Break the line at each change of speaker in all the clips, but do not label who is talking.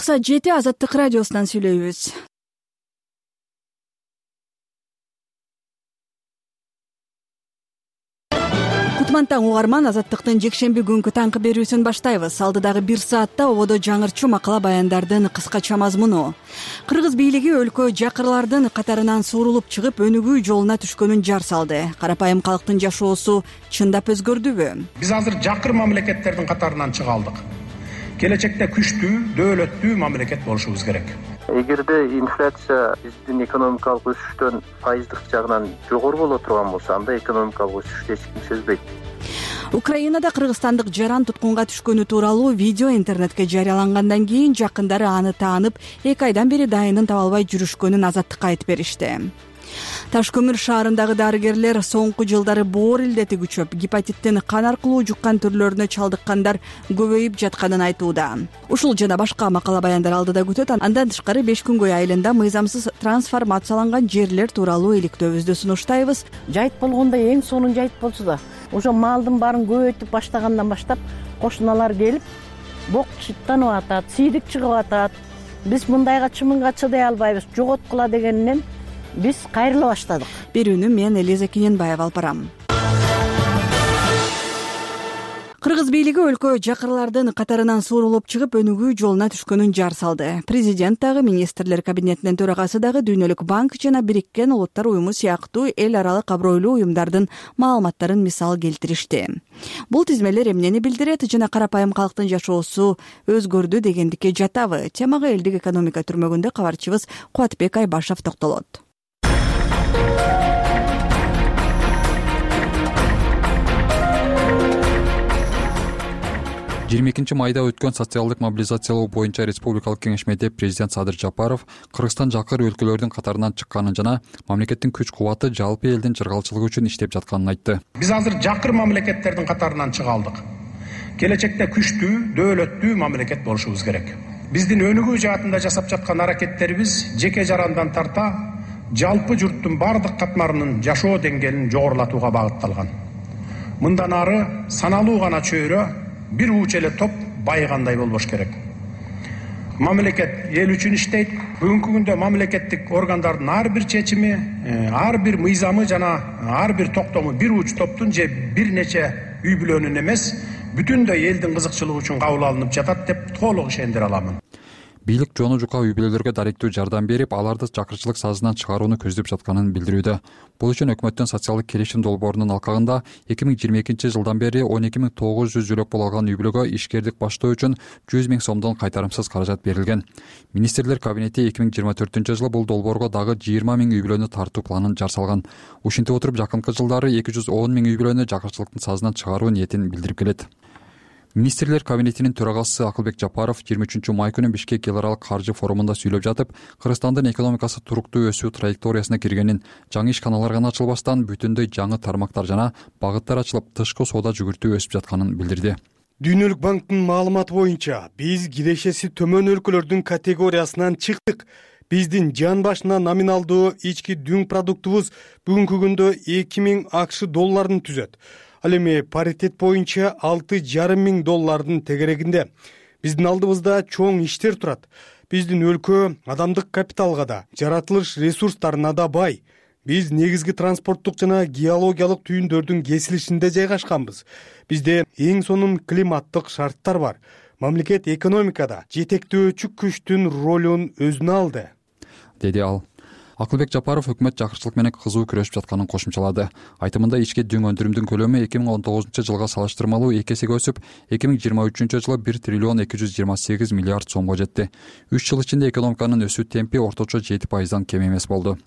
Кыса 7 Азаттык радиосунан сүйлөйбүз. Кутмантаң угарман, Азаттыктын жекшемби күнкү таңкы берүүсүн баштайбыз. Алдыдагы 1 саатта ободо жаңырчу макала баяндардын кыскача мазмуну. Кыргыз бийлиги өлкө жакырлардын катарынан суурулуп чыгып, өнүгүү жолуна түшкөнүн жар салды. Карапайым калктын жашоосу чындап өзгөрдүбү?
Биз азыр жакыр мамлекеттердин катарынан чыга алдык. Келечекте күчтүү, дөөлөттүү мамлекет болушубуз керек.
Эгерде инфляция биздин экономикалык өсүштөн пайыздык жагынан жогору боло турган болсо, анда экономикалык өсүштү эч ким сезбейт.
Украинада кыргызстандык жаран туткунга түшкөнү тууралуу видео интернетке жарыялангандан кийин жакындары аны таанып, 2 айдан бери дайынын таба албай жүрүшкөнүн Азаттыкка айтып беришти. Таш көмүр шаарындагы дарыгерлер соңку жылдары боор илдети күчөп, гепатиттин кан аркылуу жуккан түрлөрүнө чалдыккандар көбөйүп жатканын айтууда. Ушул жана башка макала баяндар алдыда күтөт. Андан тышкары 5 күнгөй айылында мыйзамсыз трансформацияланган жерлер тууралуу иликтөөбүздү сунуштайбыз.
Жайыт болгондо эң сонун жайыт болчу да. Ошо малдын баарын көбөйтүп баштагандан баштап кошуналар келип, бок чыттанып атат, сийдик чыгып атат. Биз мындайга чымынга чыдай албайбыз, жоготкула дегенинен биз кайрыла баштадык.
Берүүнү мен Элиза Кененбаева алып барам. Кыргыз бийлиги өлкө жакырлардын катарынан суурулуп чыгып, өнүгүү жолуна түшкөнүн жар салды. Президент дагы, министрлер кабинетинин төрагасы дагы Дүйнөлүк банк жана Бириккен Улуттар уюму сыяктуу эл аралык абройлуу уюмдардын маалыматтарын мисал келтиришти. Бул тизмелер эмнени билдирет жана карапайым калктын жашоосу өзгөрдү дегендикке жатабы? Темага элдик экономика түрмөгүндө кабарчыбыз Кубатбек Айбашев токтолот.
22 майда өткөн социалдык мобилизациялоо боюнча республикалык кеңешмеде президент Садыр Жапаров Кыргызстан жакыр өлкөлөрдүн катарынан чыкканын жана мамлекеттин күч-кубаты жалпы элдин чыргалчылыгы үчүн иштеп жатканын айтты.
Биз азыр жакыр мамлекеттердин катарынан чыга алдык. Келечекте күчтүү, дөөлөттүү мамлекет болушубуз керек. Биздин өнүгүү жаатында жасап жаткан аракеттерибиз жеке жарандан тарта жалпы журттун бардык катмарынын жашоо деңгээлин жогорулатууга багытталган. Мындан ары саналуу гана чөйрө, бир уч эле топ байыгандай болбош керек. Мамлекет эл үчүн иштейт. Бүгүнкү күндө мамлекеттик органдардын ар бир чечими, ар бир мыйзамы жана ар бир токтому бир уч топтун же бир нече үй бүлөнүн эмес, бүтүндөй элдин кызыкчылыгы үчүн кабыл алынып жатат деп толук ишендире аламын.
Бийлик жону жука үй бүлөлөргө даректүү жардам берип, аларды чакырчылык сазынан чыгарууну көздөп жатканын билдирүүдө. Бул үчүн өкмөттүн социалдык келишим долбоорунун алкагында 2022 жылдан бери 12.900 жөлөк боло алган үй бүлөгө ишкердик баштоо үчүн 100 000 сомдон кайтарымсыз каражат берилген. Министрлер кабинети 2024 жылы бул долбоорго дагы 20 000 үй бүлөнү тартуу планын жар салган. Ушинтип отуруп, жакынкы жылдары 210 000 үй бүлөнү жакырчылыктын сазынан чыгаруу ниетин билдирип келет. Министрлер кабинетинин төрагасы Акылбек Жапаров 23 май күнү Бишкек эл аралык каржы форумунда сүйлөп жатып, Кыргызстандын экономикасы туруктуу өсүү траекториясына киргенин, жаңы ишканалар гана ачылбастан бүтүндөй жаңы тармактар жана багыттар ачылып, тышкы соода жүгүртүү өсүп жатканын билдирди.
Дүйнөлүк банктын маалыматы боюнча биз кирешеси төмөн өлкөлөрдүн категориясынан чыктык. Биздин жан башына номиналдуу ички дүң продуктубуз бүгүнкү күндө 2000 АКШ долларын түзөт. Ал эми паритет боюнча $6,500 тегерегинде. Биздин алдыбызда чоң иштер турат. Биздин өлкө адамдык капиталга да, жаратылыш ресурстарына да бай. Биз негизги транспорттук жана геологиялык түйүндөрдүн кесилишинде жайгашканбыз. Бизде эң сонун климаттык шарттар бар. Мамлекет экономикада жетектөөчү күчтүн ролун өзүнө алды,
деди ал. Акылбек Жапаров өкмөт жакырчылык менен кызуу күрөшүп жатканын кошумчалады. Айтымында ички дүң өндүрүмдүн көлөмү 2019 жылга салыштырмалуу 2 эсеге өсүп, 2023 жылы 1 триллион 228 миллиард сомго жетти. 3 жыл ичинде экономиканын өсүү темпи орточо 7% кем эмес болду.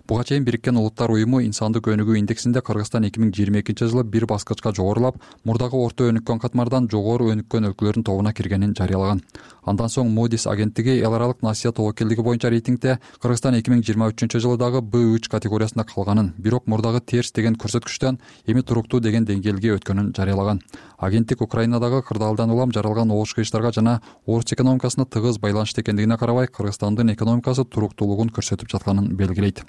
Буга чейин Бириккен Улуттар уюму инсандык өнүгүү индексинде Кыргызстан 2022 жылы бир баскычка жогорулап, мурдагы орто өнүккөн катмардан жогору өнүккөн өлкөлөрдүн тобуна киргенин жарыялаган. Андан соң Moody's агенттиги эл аралык насыя тобокелдиги боюнча рейтингде Кыргызстан 2023 жылы дагы B3 категориясында калганын, бирок мурдагы терс деген көрсөткүчтөн эми туруктуу деген деңгээлге өткөнүн жарыялаган. Агенттик Украинадагы кырдаалдан улам жаралган огуш кыйыштарга жана орус экономикасына тыгыз байланыштуу экендигине карабай, Кыргызстандын экономикасы туруктуулугун көрсөтүп жатканын белгилейт.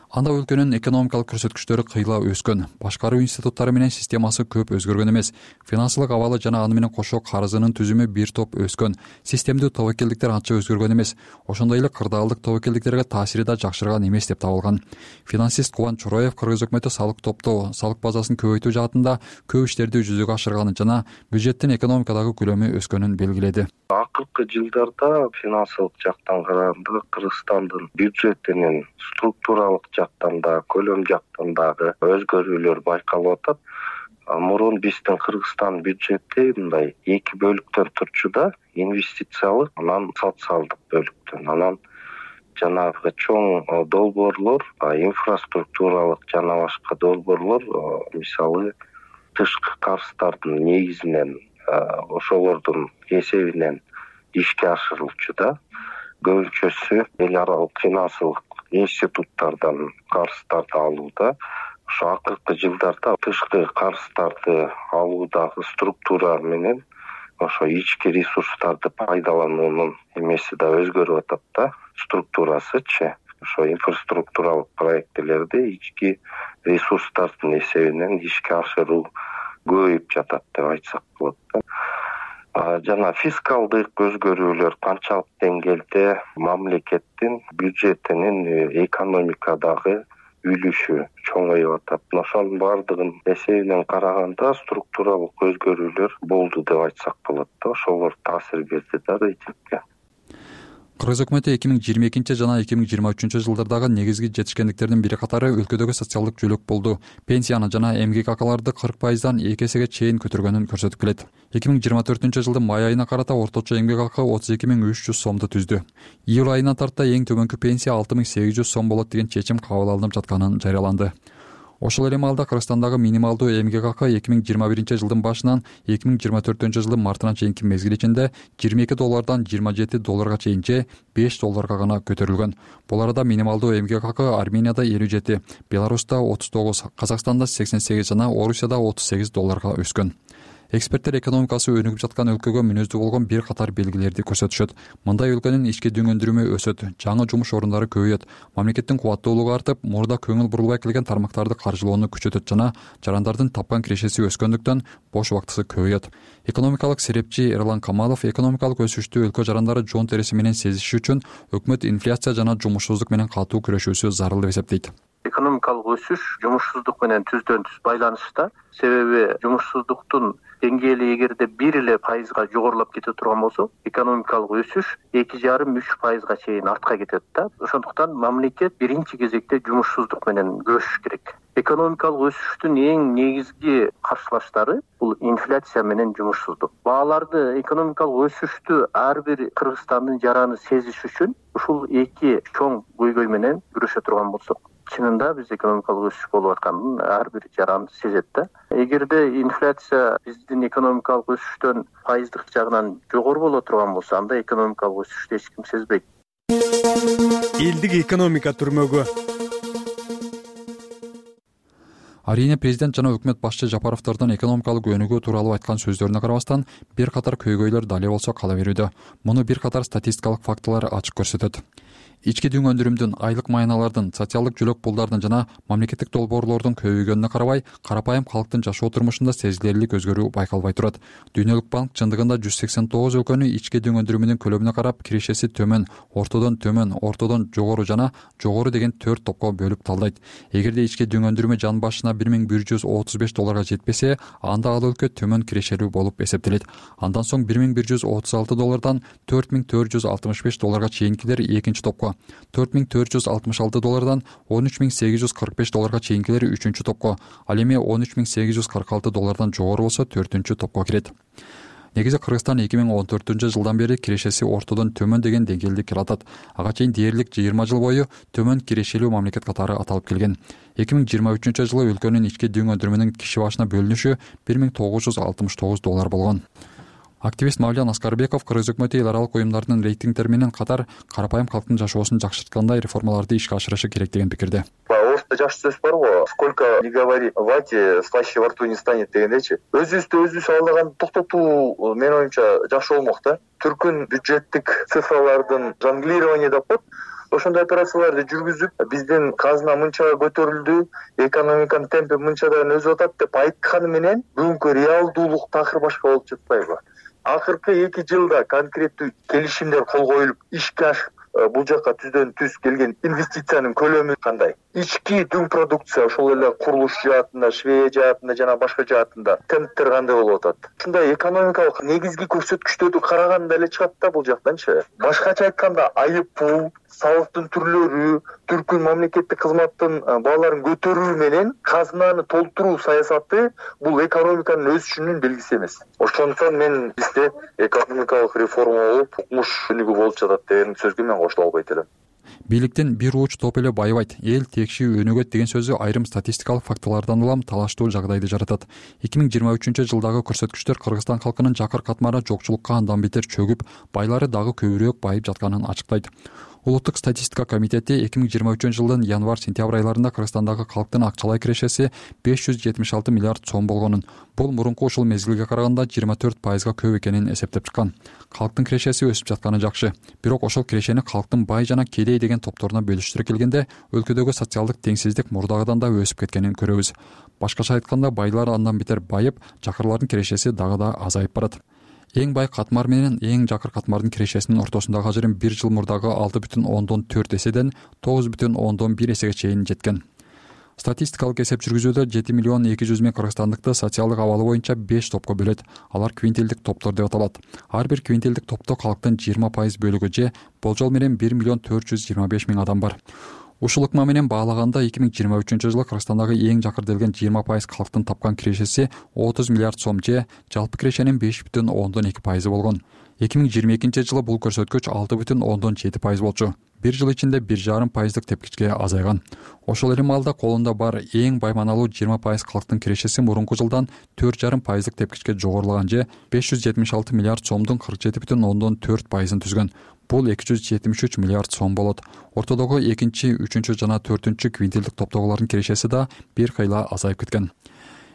Анда өлкөнүн экономикалык көрсөткүчтөрү кыйла өскөн, башкаруу институттары менен системасы көп өзгөргөн эмес, финансылык абалы жана аны менен кошо карызынын түзүмү бир топ өскөн, системдүү тобокелдиктер анча өзгөргөн эмес, ошондой эле кырдаалдык тобокелдиктерге таасири да жакшырган эмес деп табылган. Финансист Кубан Чороев кыргыз өкмөтү салык топтоо, салык базасын көбөйтүү жаатында көп иштерди жүзөгө ашырганын жана бюджеттин экономикадагы көлөмү өскөнүн белгиледи.
Акыркы жылдарда финансылык жактан караганда Кыргызстандын бюджетинин структуралык жактан да, көлөм жактан дагы өзгөрүүлөр байкалып атат. Мурун биздин Кыргызстан бюджети мындай эки бөлүктөн турчу да, инвестициялык, анан социалдык бөлүктөн. Анан жанагы чоң долбоорлор, инфраструктуралык жана башка долбоорлор, мисалы тышкы карыздардын негизинен, ошолордун эсебинен ишке ашырылчу да. Көбүнчөсү эл аралык финансылык институттардан карыздарды алууда. Ошо акыркы жылдарда тышкы карыздарды алуудагы структура менен ошо ички ресурстарды пайдалануунун эмеси да өзгөрүп атат да, структурасычы. Ошо инфраструктуралык проектилерди ички ресурстардын эсебинен ишке ашыруу көбөйүп жатат деп айтсак болот да. Жана фискалдык өзгөрүүлөр канчалык деңгээлде мамлекеттин бюджетинин экономикадагы үлүшү чоңоюп атат. Ошонун баардыгын эсебинен караганда структуралык өзгөрүүлөр болду деп айтсак болот да. Ошолор таасир берди да рейтингге.
Кыргыз өкмөтү 2022 жана 2023 жылдардагы негизги жетишкендиктердин бири катары өлкөдөгү социалдык жөлөк болду. Пенсияны жана эмгек акыларды 40%дан 2 эсеге чейин көтөргөнүн көрсөтүп келет. 2024 жылдын май айына карата орточо эмгек акы 32.300 сомду түздү. Июль айына тарта эң төмөнкү пенсия 6.800 сом болот деген чечим кабыл алынып жатканын жарыяланды. Ошол эле маалда Кыргызстандагы минималдуу эмгек акы 2021 жылдын башынан 2024 жылдын мартына чейинки мезгил ичинде $22 $27 чейин же $5 гана көтөрүлгөн. Бул арада минималдуу эмгек акы Арменияда 57, Беларуста 39, Казакстанда 88 жана Орусияда $38 өскөн. Эксперттер экономикасы өнүгүп жаткан өлкөгө мүнөздүү болгон бир катар белгилерди көрсөтүшөт. Мындай өлкөнүн ички дүң өндүрүмү өсөт, жаңы жумуш орундары көбөйөт, мамлекеттин кубаттуулугу артып, мурда көңүл бурулбай келген тармактарды каржылоону күчөтөт жана жарандардын тапкан кирешеси өскөндүктөн бош убактысы көбөйөт. Экономикалык серепчи Эрлан Камалов экономикалык өсүштү өлкө жарандары жон тереси менен сезиши үчүн өкмөт инфляция жана жумушсуздук менен катуу күрөшүүсү зарыл деп эсептейт.
Экономикалык өсүш жумушсуздук менен түздөн түз байланышта. Себеби жумушсуздуктун деңгээли эгерде 1% жогорулап кете турган болсо, экономикалык өсүш 2,5-3% чейин артка кетет да. Ошондуктан мамлекет биринчи кезекте жумушсуздук менен күрөшүш керек. Экономикалык өсүштүн эң негизги каршылаштары бул инфляция менен жумушсуздук. Бааларды, экономикалык өсүштү ар бир Кыргызстандын жараны сезиш үчүн ушул эки чоң көйгөй менен күрөшө турган болсок, чынында биз экономикалык өсүш болуп атканын ар бир жаран сезет да. Эгерде инфляция биздин экономикалык өсүштөн пайыздык жагынан жогору боло турган болсо, анда экономикалык өсүштү эч ким сезбейт.
Элдик экономика түрмөгү.
Арийне президент жана өкмөт башчы Жапаровдордун экономикалык өнүгүү тууралуу айткан сөздөрүнө карабастан, бир катар көйгөйлөр дали болсо кала берүүдө. Муну бир катар статистикалык фактылар ачык көрсөтөт. Ички дүң өндүрүмдүн, айлык майналардын, социалдык жөлөк пулдардын жана мамлекеттик долбоорлордун көбөйгөнүнө карабай, карапайым калктын жашоо турмушунда сезилерлик өзгөрүү байкалбай турат. Дүйнөлүк банк чындыгында 189 өлкөнү ички дүң өндүрүмүнүн көлөмүнө карап, кирешеси төмөн, ортодон жогору жана жогору деген 4 топко бөлүп талдайт. Эгерде ички дүң өндүрүмү жан башына $1135 жетпесе, анда ал өлкө төмөн кирешелүү болуп эсептелет. Андан соң $1166 $4465 чейинкилер экинчи топко, $4466 $13845 чейинкилер үчүнчү топко, ал эми $13846 жогору болсо төртүнчү топко кирет. Негизи Кыргызстан 2014 жылдан бери кирешеси ортодон төмөн деген деңгээлде келатат. Ага чейин дээрлик 20 жыл бою төмөн кирешелүү мамлекет катары аталып келген. 2023 жылы өлкөнүн ички дүң өндүрүмүнүн киши башына бөлүнүшү $1969 болгон. Активист Мавлян Аскарбеков Кыргыз өкмөтү эл аралык уюмдардын рейтингдери менен катар карапайым калктын жашоосун жакшырткандай реформаларды ишке ашырышы керек деген пикирде.
Орто
жаш сөз барбы, сколько не говори в вате, слаще во рту не станет дегендейчи. Өзүбүз алдаган токтотуу менин оюмча жакшы болмок да. Түркүн бюджеттик цифралардын жонглирование деп коет. Ошондой операцияларды жүргүзүп, биздин казына мынча көтөрүлдү, экономиканын темпи мынчадан өсүп атат деп айтканы менен бүгүнкү реалдуулук такыр башка болуп жатпайбы? Акыркы 2 жылда конкреттүү келишимдер кол коюлуп, ишке ашып, бул жакка түздөн түз келген инвестициянын көлөмү кандай? Ички дүң продукция, ошол эле курулуш жаатында, швей жаатында жана башка жаатында темптер кандай болуп атат? Ушундай экономикалык негизги көрсөткүчтөрдү караганда эле чыгат да бул жактанчы. Башкача айтканда, айып-пул, салыктын түрлөрү, Түркүн мамлекеттик кызматтын бааларын көтөрүү менен казынаны толтуруу саясаты бул экономиканын өсүшүнүн белгиси эмес. Ошондуктан мен бизде экономикалык реформа болуп, укмуш өнүгүү болуп жатат деген сөзгө мен кошула албайт элем.
Бийликтин бир ууч топ эле байыбайт, эл текши өнүгөт деген сөзү айрым статистикалык фактылардан улам талаштуу жагдайды жаратат. 2023-жылдагы көрсөткүчтөр Кыргызстан калкынын жакыр катмары жокчулукка андан бетер чөгүп, байлары дагы көбүрөөк байып жатканын ачыктайт. Улуттук статистика комитети 2023-жылдын январь-сентябрь айларында Кыргызстандагы калктын акчалай кирешеси 576 миллиард сом болгонун, бул мурунку ушул мезгилге караганда 24% көп экенин эсептеп чыккан. Калктын кирешеси өсүп жатканы жакшы, бирок ошол кирешени калктын бай жана кедей деген топторуна бөлүштүрө келгенде өлкөдөгү социалдык теңсиздик мурдагыдан да өсүп кеткенин көрөбүз. Башкача айтканда, байлар андан бетер байып, жакырлардын кирешеси дагы да азайып барат. Эң бай катмар менен эң жакыр катмардын кирешесинин ортосундагы ажырым 1 жыл мурдагы 6,4 эседен 9,1 эсеге чейин жеткен. Статистикалык эсеп жүргүзүүдө 7 миллион 200 миң кыргызстандыкты социалдык абалы боюнча 5 топко бөлөт. Алар квинтилдик топтор деп аталат. Ар бир квинтилдик топто калктын 20% бөлүгү же болжол менен 1 миллион 425 миң адам бар. Ушул ыкма менен баалаганда 2023-жылы Кыргызстандагы эң жакыр делген 20% калктын тапкан кирешеси 30 миллиард сом же жалпы кирешенин 5,2% болгон. 2022-жылы бул көрсөткүч 6,7% болчу. Бир жыл ичинде 1,5% тепкичке азайган. Ошол эле маалда колунда бар эң байманалуу 20% калктын кирешеси мурунку жылдан 4,5% тепкичке жогорулаган же 576 миллиард сомдун 47,4%ын түзгөн. Бул 273 миллиард сом болот. Ортодогу 2-, 3- жана 4- квинтилдик топтогулардын кирешеси да бир кыйла азайып кеткен.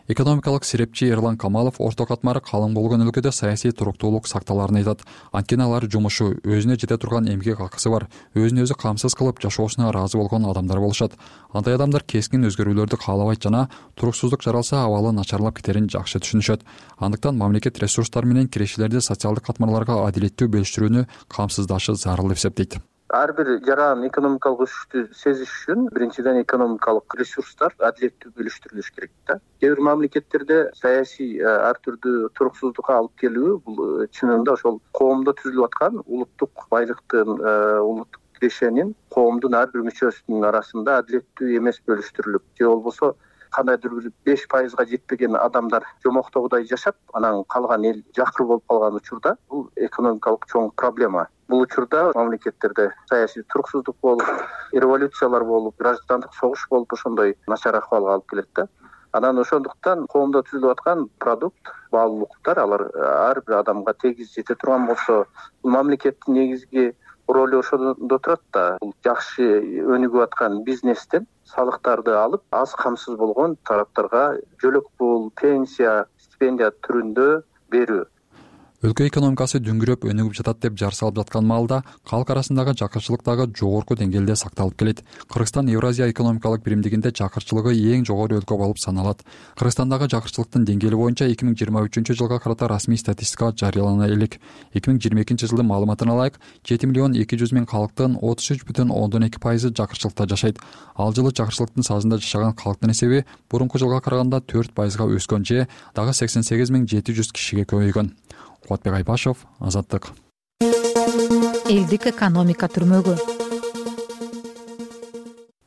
Экономикалык серепчи Эрлан Камалов орто катмары калың болгон өлкөдө саясий туруктуулук сакталарын айтат. Анткени алар жумушу, өзүнө жете турган эмгек акысы бар, өзүн өзү камсыз кылып жашоосуна ыраазы болгон адамдар болушат. Андай адамдар кескин өзгөрүүлөрдү каалабайт жана туруксуздук жаралса абалы начарлап кетерин жакшы түшүнүшөт. Андыктан мамлекет ресурстары менен кирешелерди социалдык катмарларга адилеттүү бөлүштүрүүнү камсыздашы зарыл деп эсептейт.
Ар бир жаран экономикалык өсүштү сезиш үчүн биринчиден экономикалык ресурстар адилеттүү бөлүштүрүлүш керек да. Кээ бир мамлекеттерде саясий ар түрдүү туруксуздукка алып келүү бул чынында ошол коомдо түзүлүп аткан улуттук байлыктын, улуттук кирешенин коомдун ар бир мүчөсүнүн арасында адилеттүү эмес бөлүштүрүлүп, же болбосо кандайдыр бир 5%га жетпеген адамдар жомоктогудай жашап, анан калган эл жакыр болуп калган учурда бул экономикалык чоң проблема. Бул учурда мамлекеттерде саясий туруксуздук болуп, революциялар болуп, граждандык согуш болуп, ошондой начар акыбалга алып келет да. Анан ошондуктан коомдо түзүлүп аткан продукт, баалуулуктар алар ар бир адамга тегиз жете турган болсо, бул мамлекеттин негизги ролу ошондо турат да. Бул жакшы өнүгүп аткан бизнестен салыктарды алып, аз камсыз болгон тараптарга жөлөк пул, пенсия, стипендия түрүндө берүү.
Өлкө экономикасы дүңгүрөп өнүгүп жатат деп жар салып жаткан маалда калк арасындагы жакырчылык дагы жогорку деңгээлде сакталып келет. Кыргызстан Евразия экономикалык биримдигинде жакырчылыгы эң жогору өлкө болуп саналат. Кыргызстандагы жакырчылыктын деңгээли боюнча 2023-жылга карата расмий статистика жарыялана элек. 2022-жылдын маалыматына ылайык 7 миллион 200 миң калктын 33,2% жакырчылыкта жашайт. Ал жылы жакырчылыктын сазында жашаган калктын эсеби мурунку жылга караганда 4%га өскөн же дагы 88,700 кишиге көбөйгөн. Кубатбек Айбашев, Азаттык.
Элдик экономика түрмөгү.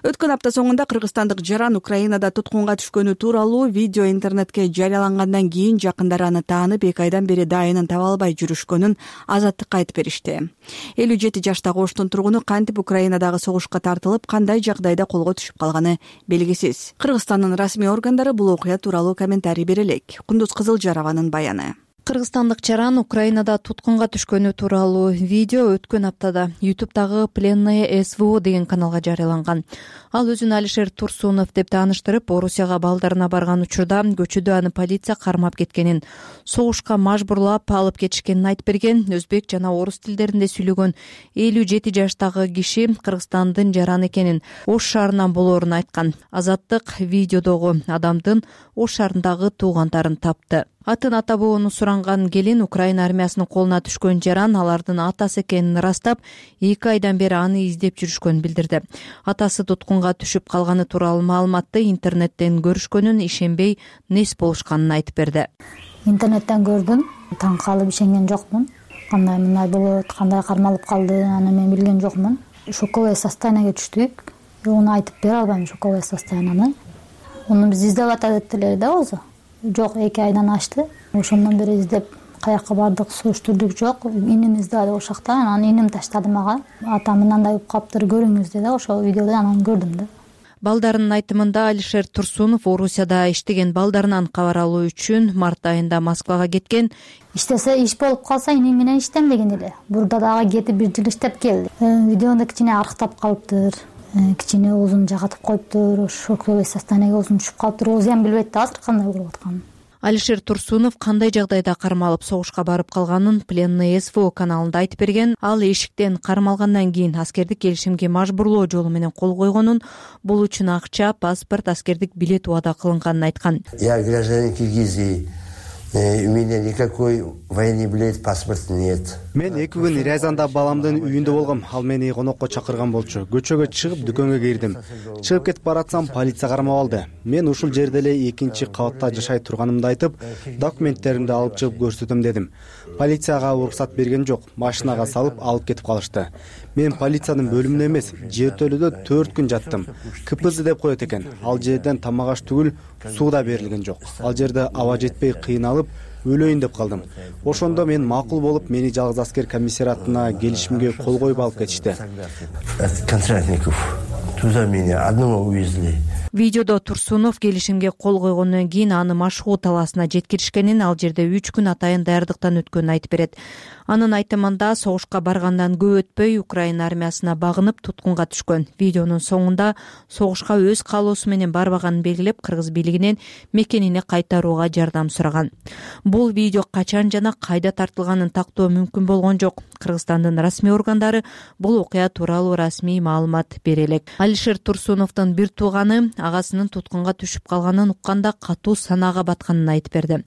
Өткөн апта соңунда кыргызстандык жаран Украинада туткунга түшкөнү тууралуу видео интернетке жарыялангандан кийин жакындары аны таанып 2 айдан бери дайынын таба албай жүрүшкөнүн Азаттыкка айтып беришти. 57 жаштагы Оштун тургуну кантип Украинадагы согушка тартылып, кандай жагдайда колго түшүп калганы белгисиз. Кыргызстандын расмий органдары бул окуя тууралуу комментарий бере элек. Кундуз Кызылжарованын баяны. Кыргызстандык жаран Украинада туткунга түшкөнү тууралуу видео өткөн аптада YouTube'дагы Пленное СВО деген каналга жарыяланган. Ал өзүн Алишер Турсунов деп тааныштырып, Орусияга балдарына барган учурда көчөдө аны полиция кармап кеткенин, согушка мажбурлап алып кетишкенин айтып берген. Өзбек жана орус тилдеринде сүйлөгөн 57 жаштагы киши Кыргызстандын жараны экенин, Ош шаарынан болоорун айткан. Азаттык видеодогу адамдын Ош шаарындагы туугандарын тапты. Атын ата бабаны суранган келин Украина армиясынын колуна түшкөн жаран алардын атасы экенин ырастап, 2 айдан бери аны издеп жүрүшкөнүн билдирди. Атасы туткунга түшүп калганы тууралуу маалыматты интернеттен көрүшкөнүн, ишенбей нес болушканын айтып берди.
Интернеттен көрдүм, таң калып ишенген жокмун. Кандай мындай болот, кандай кармалып калды, аны мен билген жокмун. Шоковое состояниеге түштүк. Уну айтып бере албайм, шоковое состоянияны. Уну биз издеп атат эле да өзү. Жок, 2 айдан ашты. Ошондон бери издеп каякка бардык, суруштурдук жок. Иним издеди ошакта, анан иним таштады мага. Атам мындай болуп калыптыр, көрүңүз деди. Ошол видеодо анан көрдүм да.
Балдарынын айтымында Алишер Турсунов Орусияда иштеген балдарынан кабар алуу үчүн март айында Москвага кеткен.
Иштесе иш болуп калса иним менен иштенбеген эле. Бурда дагы кетип 1 жыл иштеп келди. Видеондо кичине арыктап калыптыр. Кичине оозун жагатып коюптур, шоковое состояниеге оозун түшүп калыптыр. Өзү эми билбейт да азыр кандай болуп атканын.
Алишер Турсунов кандай жагдайда кармалып согушка барып калганын Пленное СВО каналында айтып берген. Ал эшиктен кармалгандан кийин аскердик келишимге мажбурлоо жолу менен кол койгонун, бул үчүн акча, паспорт, аскердик билет убада кылынганын айткан.
Я гражданин Киргизии. У меня никакой военный билет, паспорт нет.
Мен 2 күн Рязанда баламдын үйүндө болгом. Ал мени конокко чакырган болчу. Көчөгө чыгып дүкөнгө кирдим. Чыгып кетип баратсам полиция кармап алды. Мен ушул жерде эле 2-чи кабатта жашай турганымды айтып, документтеримди алып чыгып көрсөтөм дедим. Полицияга уруксат берген жок. Машинага салып алып кетип калышты. Мен полициянын бөлүмүндө эмес, жертөлөдө 4 күн жаттым. КПЗ деп коет экен. Ал жерден тамак аш түгүл, суу да берилген жок. Ал жерде аба жетпей кыйналып өлөйүн деп калдым. Ошондо мен макул болуп, мени жалгыз аскер комиссариатына келишимге кол коюп алып кетишти.
Контрактников. Туда меня одного увезли.
Видеодо Турсунов келишимге кол койгондон кийин аны Машху талаасына жеткиришкенин, ал жерде 3 күн атайын даярдыктан өткөнүн айтып берет. Анын айтымында согушка баргандан көп өтпөй Украина армиясына багынып туткунга түшкөн. Видеонун соңунда согушка өз каалоосу менен барбаганын белгилеп, кыргыз бийлигинен мекенине кайтарууга жардам сураган. Бул видео качан жана кайда тартылганын тактоо мүмкүн болгон жок. Кыргызстандын расмий органдары бул окуя тууралуу расмий маалымат бере элек. Алишер Турсуновдун бир тууганы агасынын туткунга түшүп калганын укканда катуу санаага батканын айтып берди.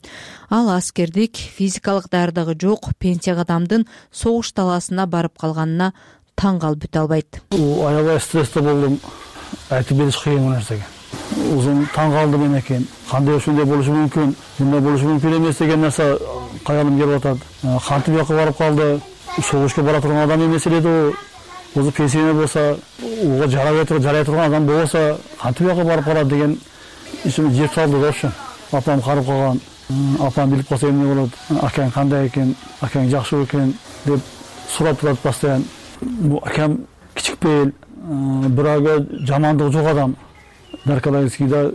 Ал аскердик, физикалык даярдыгы жок, пенсияга адамдын согуш талаасына барып калганына таң калып бүтө албайт.
Аябай стрессте болдум. Айтып бериш кыйын нерсеге. Узун таң калдым экен. Кандай ушундай болушу мүмкүн, мындай болушу мүмкүн эмес деген нерсе каялым келип атат. Кантип жакка барып калды? Согушка бара турган адам эмес эле да. Өзү пенсияда болсо, уга жарай турган адам болсо, кантип жакка барып калат деген ишим жеп салды да ошо. Апам карып калган. Апам билип калса эмне болот? Акаң кандай экен? Акаң жакшы экен деп сурап турат постоянно. Бу акам кичикпейил, бирок жамандыгы жок адам. Наркологическийда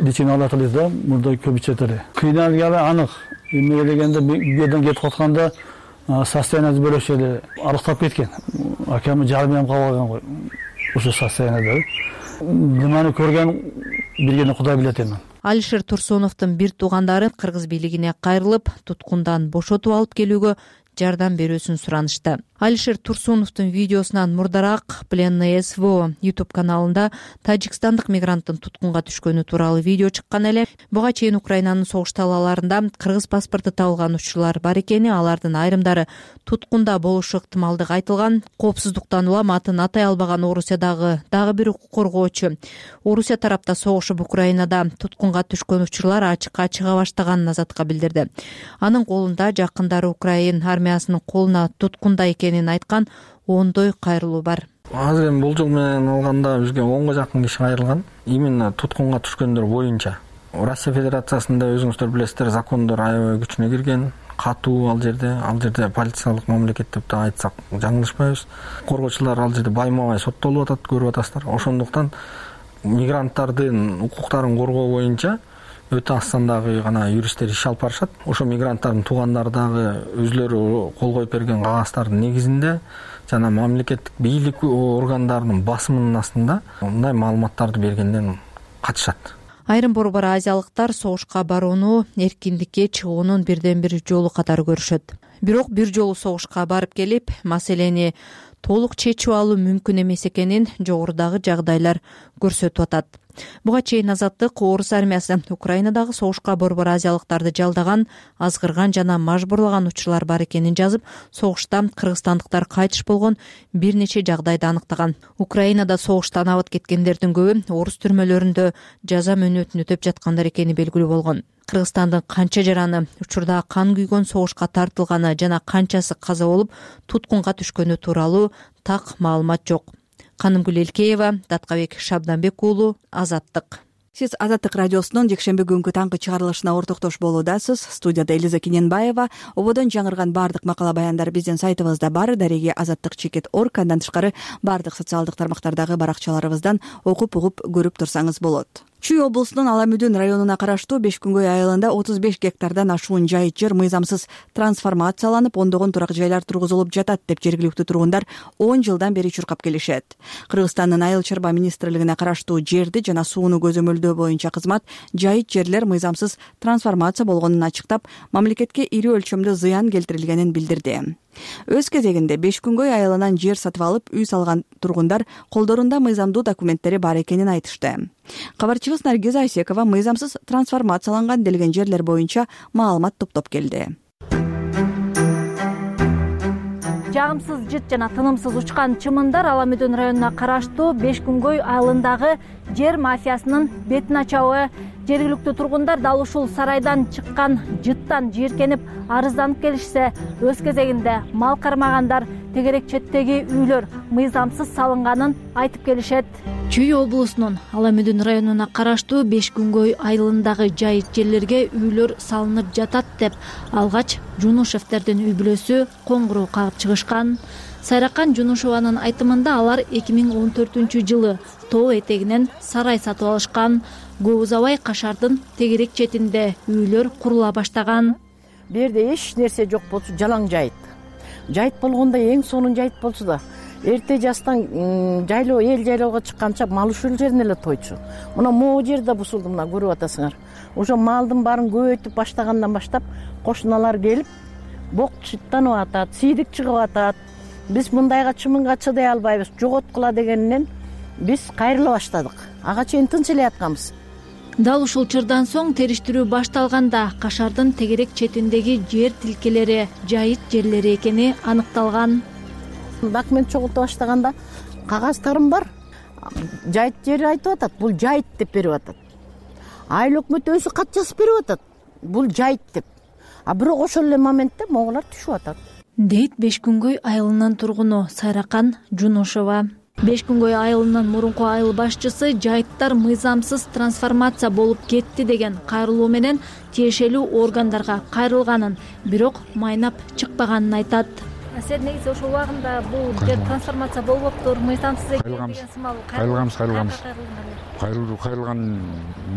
лечение алат эле да, мурда көп ичет эле. Кыйналганы анык. Эмне дегенде бу жерден кетип атканда состояниясы бөлөкчө эле арыктап кеткен. Акамы жарым калган го. Ошо состоянияда. Немени көргөн биргени Кудай билет эми.
Алишер Турсуновдун бир туугандары кыргыз бийлигине кайрылып, туткундан бошотуп алып келүүгө жардам берүүсүн суранышты. Алишер Турсуновдун видеосунан мурдараак Пленное СВО YouTube каналында тажикстандык мигранттын туткунга түшкөнү тууралуу видео чыккан эле. Буга чейин Украинанын согуш талааларында кыргыз паспорту табылган учурлар бар экени, алардын айрымдары туткунда болушу ыктымалдыгы айтылган. Коопсуздуктан улам атын атай албаган Орусиядагы дагы бир укук коргоочу Орусия тарапта согушуп Украинада туткунга түшкөн учурлар ачыкка чыга баштаганын Азатка билдирди. Анын колунда жакындары Украина армиясынын колуна туткунда экенин айткан ондой кайрылуу бар.
Азыр эми бул жыл менен алганда бизге 10га жакын киши кайрылган. Именно туткунга түшкөндөр боюнча. Россия Федерациясында өзүңүздөр билесиздер, закондор аябай күчүнө кирген. Катуу ал жерде полициялык мамлекет деп да айтсак жаңылышпайбыз. Коргоочулар ал жерде байма-бай соттолуп атат, көрүп атасыздар. Ошондуктан мигранттардын укуктарын коргоо боюнча
өтө аз сандагы гана юристтер иш алып барышат. Ошо мигранттардын туугандары дагы өзлөрү кол коюп берген кагаздардын негизинде жана мамлекеттик бийлик органдарынын басымынын астында мындай маалыматтарды бергенден качышат.
Айрым борбор азиялыктар согушка барууну эркиндикке чыгуунун бирден бир жолу катары көрүшөт. Бирок бир жолу согушка барып келип, маселени толук чечип алуу мүмкүн эмес экенин жогорудагы жагдайлар көрсөтүп атат. Буга чейин Азаттык Орус армиясы Украинадагы согушка борбор азиялыктарды жалдаган, азгырган жана мажбурлаган учурлар бар экенин жазып, согушта кыргызстандыктар кайтыш болгон бир нече жагдайды аныктаган. Украинада согуштан абыт кеткендердин көбү орус түрмөлөрүндө жаза мөөнөтүн өтөп жаткандар экени белгилүү болгон. Кыргызстандын канча жараны, учурда кан күйгөн согушка тартылганы жана канчасы каза болуп, туткунга түшкөнү тууралуу так маалымат жок. Канымгүл Элкеева, Даткабек Шабданбек уулу, Азаттык.
Сиз Азаттык радиосунун жекшемби күнгү таңкы чыгарылышына ортоктош болуудасыз. Студияда Элиза Кененбаева. Ободон жаңырган бардык макала баяндар биздин сайтыбызда бар. Дареги azattik.org. Андан тышкары бардык социалдык тармактардагы баракчаларыбыздан окуп угуп көрүп турсаңыз болот. Чүй облусунун Аламүдүн районуна караштуу Бешкүнгөй айылында 35 гектардан ашуун жайыт жер мыйзамсыз трансформацияланып, ондогон турак жайлар тургузулуп жатат деп жергиликтүү тургундар 10 жылдан бери чуркап келишет. Кыргызстандын Айыл чарба министрлигине караштуу жерди жана сууну көзөмөлдөө боюнча кызмат жайыт жерлер мыйзамсыз трансформация болгонун ачыктап, мамлекетке ири өлчөмдө зыян келтирилгенин билдирди. Өз кезегинде Бешкүнгөй айылынан жер сатып алып, үй салган тургундар колдорунда мыйзамдуу документтери бар экенин айтышты. Кабарчыбыз Наргиз Айсекова мыйзамсыз трансформацияланган делген жерлер боюнча маалымат топтоп келди.
Жагымсыз жыт жана тынымсыз учкан чымындар Аламүдүн районуна караштуу Бешкүнгөй айылындагы жер мафиясынын бетин ачабы. Жергиликтүү тургундар дал ушул сарайдан чыккан жыттан жийиркенип арызданып келишсе, өз кезегинде мал кармагандар тегерек четтеги үйлөр мыйзамсыз салынганын айтып келишет.
Чүй облусунун Аламүдүн районуна караштуу Бешкүнгөй айылындагы жайыт жерлерге үйлөр салынып жатат деп алгач Жунушевтердин үй бүлөсү коңгуроо кагып чыгышкан. Сайракан Жунушеванын айтымында алар 2014-жылы тоо этегинен сарай сатып алышкан. Көп узабай Кашардын тегерек четинде үйлөр курула баштаган.
Бу жерде эч нерсе жок болчу, жалаң жайыт. Жайыт болгондо эң сонун жайыт болчу да. Эрте жастан жайлоо, эл жайлоого чыкканча мал ушул жерден эле тойчу. Мына могу жерде бусулду, мына көрүп атасыңар. Ошо малдын баарын көбөйтүп баштагандан баштап кошуналар келип, бок чыттанып атат, сийдик чыгып атат. Биз мындайга чымынга чыдай албайбыз, жоготкула дегенинен биз кайрыла баштадык. Ага чейин тынч эле ятканбыз.
Дал ушул чырдан соң териштирүү башталганда Кашардын тегерек четиндеги жер тилкелери жайыт жерлери экени аныкталган.
Документ чогулта баштаганда кагаздарым бар. Жайыт жери айтып атат, бул жайыт деп берип атат. Айыл өкмөт өзү кат жазып берип атат, бул жайыт деп. А бирок ошол эле моментте моголар түшүп атат.
Дейт Бешкүнгөй айылынын тургуну Сайракан Жунушева. Бешкүнгөй айылынын мурунку айыл башчысы жайыттар мыйзамсыз трансформация болуп кетти деген кайрылуу менен тиешелүү органдарга кайрылганын, бирок майнап чыкпаганын айтат.
Сен негизи ошол убагында бул жер трансформация болбоптур, мыйзамсыз экен деген сымал
кайрылган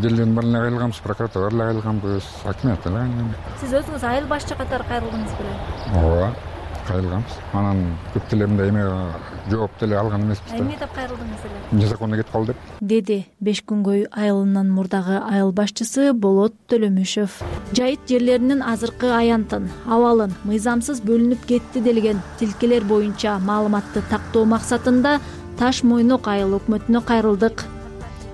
жерлердин баарына кайрылганбыз, прокуратурага кайрылганбыз, акимиятка кайрылганбыз.
Сиз өзүңүз айыл башчы катары кайрылдыңыз беле?
Ооба, кайрылганбыз. Анан көп деле мындай эме жооп деле алган эмеспиз да.
Эмне деп кайрылдыңыз эле?
Незаконно кетип калды деп.
Деди Бешкүнгөй айылынын мурдагы айыл башчысы Болот Төлөмүшев. Жайыт жерлеринин азыркы аянтын, абалын мыйзамсыз бөлүнүп кетти делген тилкелер боюнча маалыматты тактоо максатында Таш Мойнок айыл өкмөтүнө кайрылдык.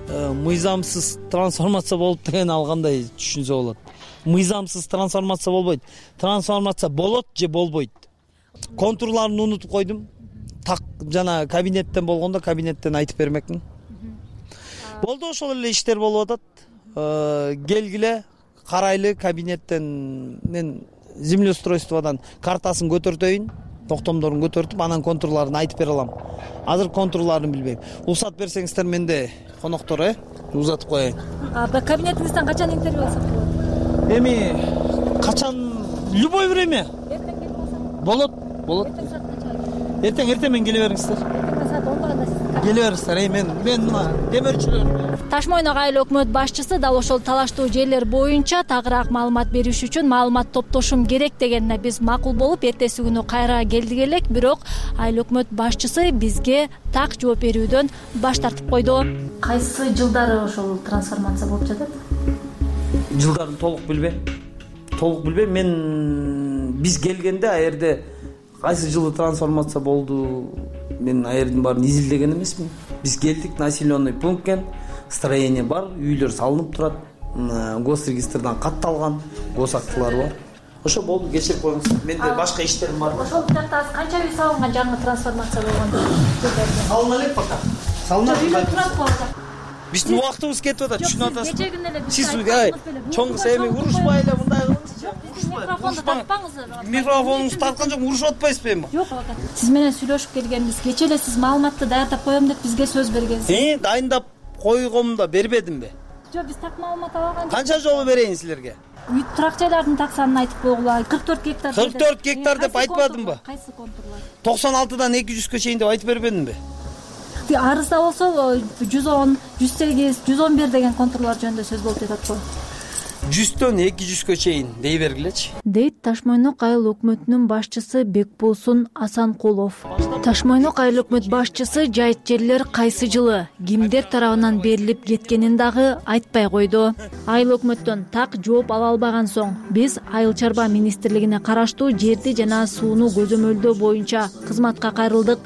Мыйзамсыз трансформация болуп деген алгандай түшүнсө болот. Мыйзамсыз трансформация болбойт. Трансформация болот же болбойт. Контурларын унутуп койдум. Так жана кабинеттен болгондо кабинеттен айтып бермекмин. Болду, ошол эле иштер болуп атат. Келгиле, карайлы, кабинеттен мен землеустройстводан картасын көтөртөйүн, токтомдорун көтөртүп, анан контурларын айтып бере алам. Азыр контурларын билбейм. Уруксат берсеңиздер менде коноктор, узатып коеюн.
Кабинетиңизден качан интервью алсак болот?
Эми качан, любой время.
Эртең келип болсо?
Болот.
Эртең саат канчага?
Эртең мен келе бериңиздер.
Эртең саат 10-да сиз
келе бериңиздер. Мен мына темирчилер.
Таш Мойнок айыл өкмөт башчысы дал ошол талаштуу жерлер боюнча тагыраак маалымат бериш үчүн маалымат топтошум керек дегенине биз макул болуп эртеси күнү кайра келдик элек, бирок айыл өкмөт башчысы бизге так жооп берүүдөн баш тартып койду. Кайсы жылдары ошол трансформация болуп жатат?
Жылдарын толук билбейм. Мен биз келгенде а жерде кайсы жылы трансформация болду, мен а жердин баарын изилдеген эмесмин. Биз келдик, населенный пункт экен, строение бар, үйлөр салынып турат, госрегистрдан катталган, гос актылары бар. Ошо болду, кечирип коюңуз. Менде башка иштерим бар.
Ошол учакта канча үй салынган жаңы трансформация болгондо?
Салына элек пока. Салына.
Үйлөр турат болду.
Биздин убактыбыз кетип атат, түшүнүп атасыз.
Кече күнү эле
Сиз чоң эми урушпай эле мындай кылыңызчы.
Микрофонду тартпаңыз.
Микрофонуңузду тарткан жок, урушуп атпайсызбы эми?
Жок, сиз менен сүйлөшүп келгенбиз. Кече эле сиз маалыматты даярдап коем деп бизге сөз бергенсиз.
Дайындап койгом да бербедимби?
Жок, биз так маалымат алган.
Канча жолу берейин силерге?
Үй турак жайлардын так санын айтып койгула. 44 гектар.
44 гектар деп айтпадымбы?
Кайсы контурлар?
96дан 200гө чейин деп айтып бербедимби?
Арызда болсо 110, 108, 111 деген контурлар жөнүндө сөз болуп жатат го.
100дөн 200гө чейин дей бергилечи.
Дейт Таш Мойнок айыл өкмөтүнүн башчысы Бекболсун Асанкулов. Таш Мойнок айыл өкмөт башчысы жайыт жерлер кайсы жылы кимдер тарабынан берилип кеткенин дагы айтпай койду. Айыл өкмөттөн так жооп ала албаган соң биз Айыл чарба министрлигине караштуу жерди жана сууну көзөмөлдөө боюнча кызматка кайрылдык.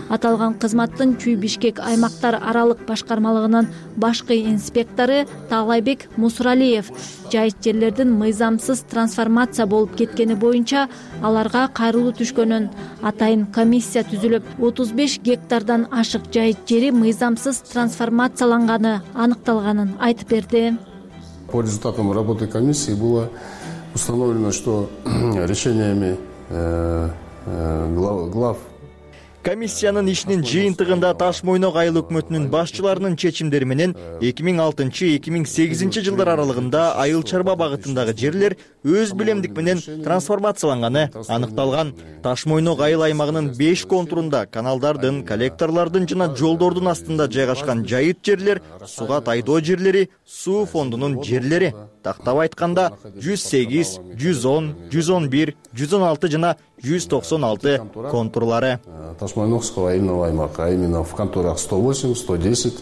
Аталган кызматтын Чүй Бишкек аймактар аралык башкармалыгынын башкы инспектору Таалайбек Мусуралиев жайыт жерлердин мыйзамсыз трансформация болуп кеткени боюнча аларга кайрылуу түшкөнүн, атайын комиссия түзүлүп 35 гектардан ашык жайыт жери мыйзамсыз трансформацияланганы аныкталганын айтып берди.
По результатам работы комиссии было установлено, что решениями глав
комиссиянын ишинин жыйынтыгында Таш Мойнок айыл өкмөтүнүн башчыларынын чечимдери менен 2006-2008 жылдар аралыгында айыл чарба багытындагы жерлер өз билемдик менен трансформацияланганы аныкталган. Таш Мойнок айыл аймагынын 5 контурунда каналдардын, коллекторлордун жана жолдордун астында жайгашкан жайыт жерлер, сууга тайдоо жерлери, суу фондунун жерлери. Тактап айтканда 108, 110, 111, 116 жана 196 контурлары.
Таш-Мойнокского айылного аймака, а именно в контурах 108, 110,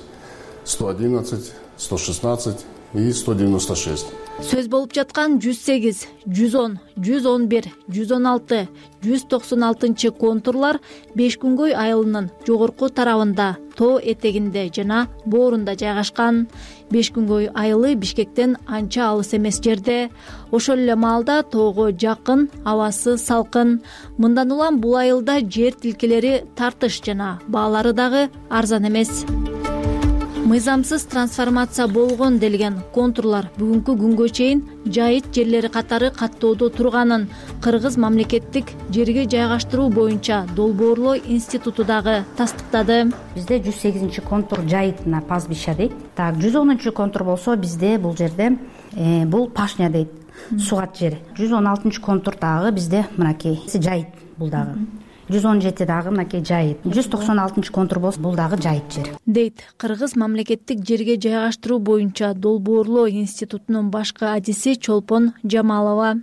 111, 116 и 196.
Сөз болуп жаткан 108, 110, 111, 116, 196 контурлар Бешкүнгөй айылынын жогорку тарабында, тоо этегинде жана боорунда жайгашкан. Бешкүнгөй айылы Бишкектен анча алыс эмес жерде. Ошол эле маалда тоого жакын, абасы салкын. Мындан улам бул айылда жер тилкелери тартыш жана баалары дагы арзан эмес. Мыйзамсыз трансформация болгон делген контурлар бүгүнкү күнгө чейин жайыт жерлери катары каттоодо турганын Кыргыз мамлекеттик жерге жайгаштыруу боюнча долбоорлоо институту дагы тастыктады.
Бизде 108 контур жайытына пастбища дейт. Так, 110 контур болсо бизде бул жерде бул пашня дейт. Сугат жери. 116 контур дагы бизде мынакей жайыт бул дагы. 117 дагы мынакей жайыт. 196 контур болсо бул дагы жайыт жер.
Дейт Кыргыз мамлекеттик жерге жайгаштыруу боюнча долбоорлоо институтунун башкы адиси Чолпон Жамалова.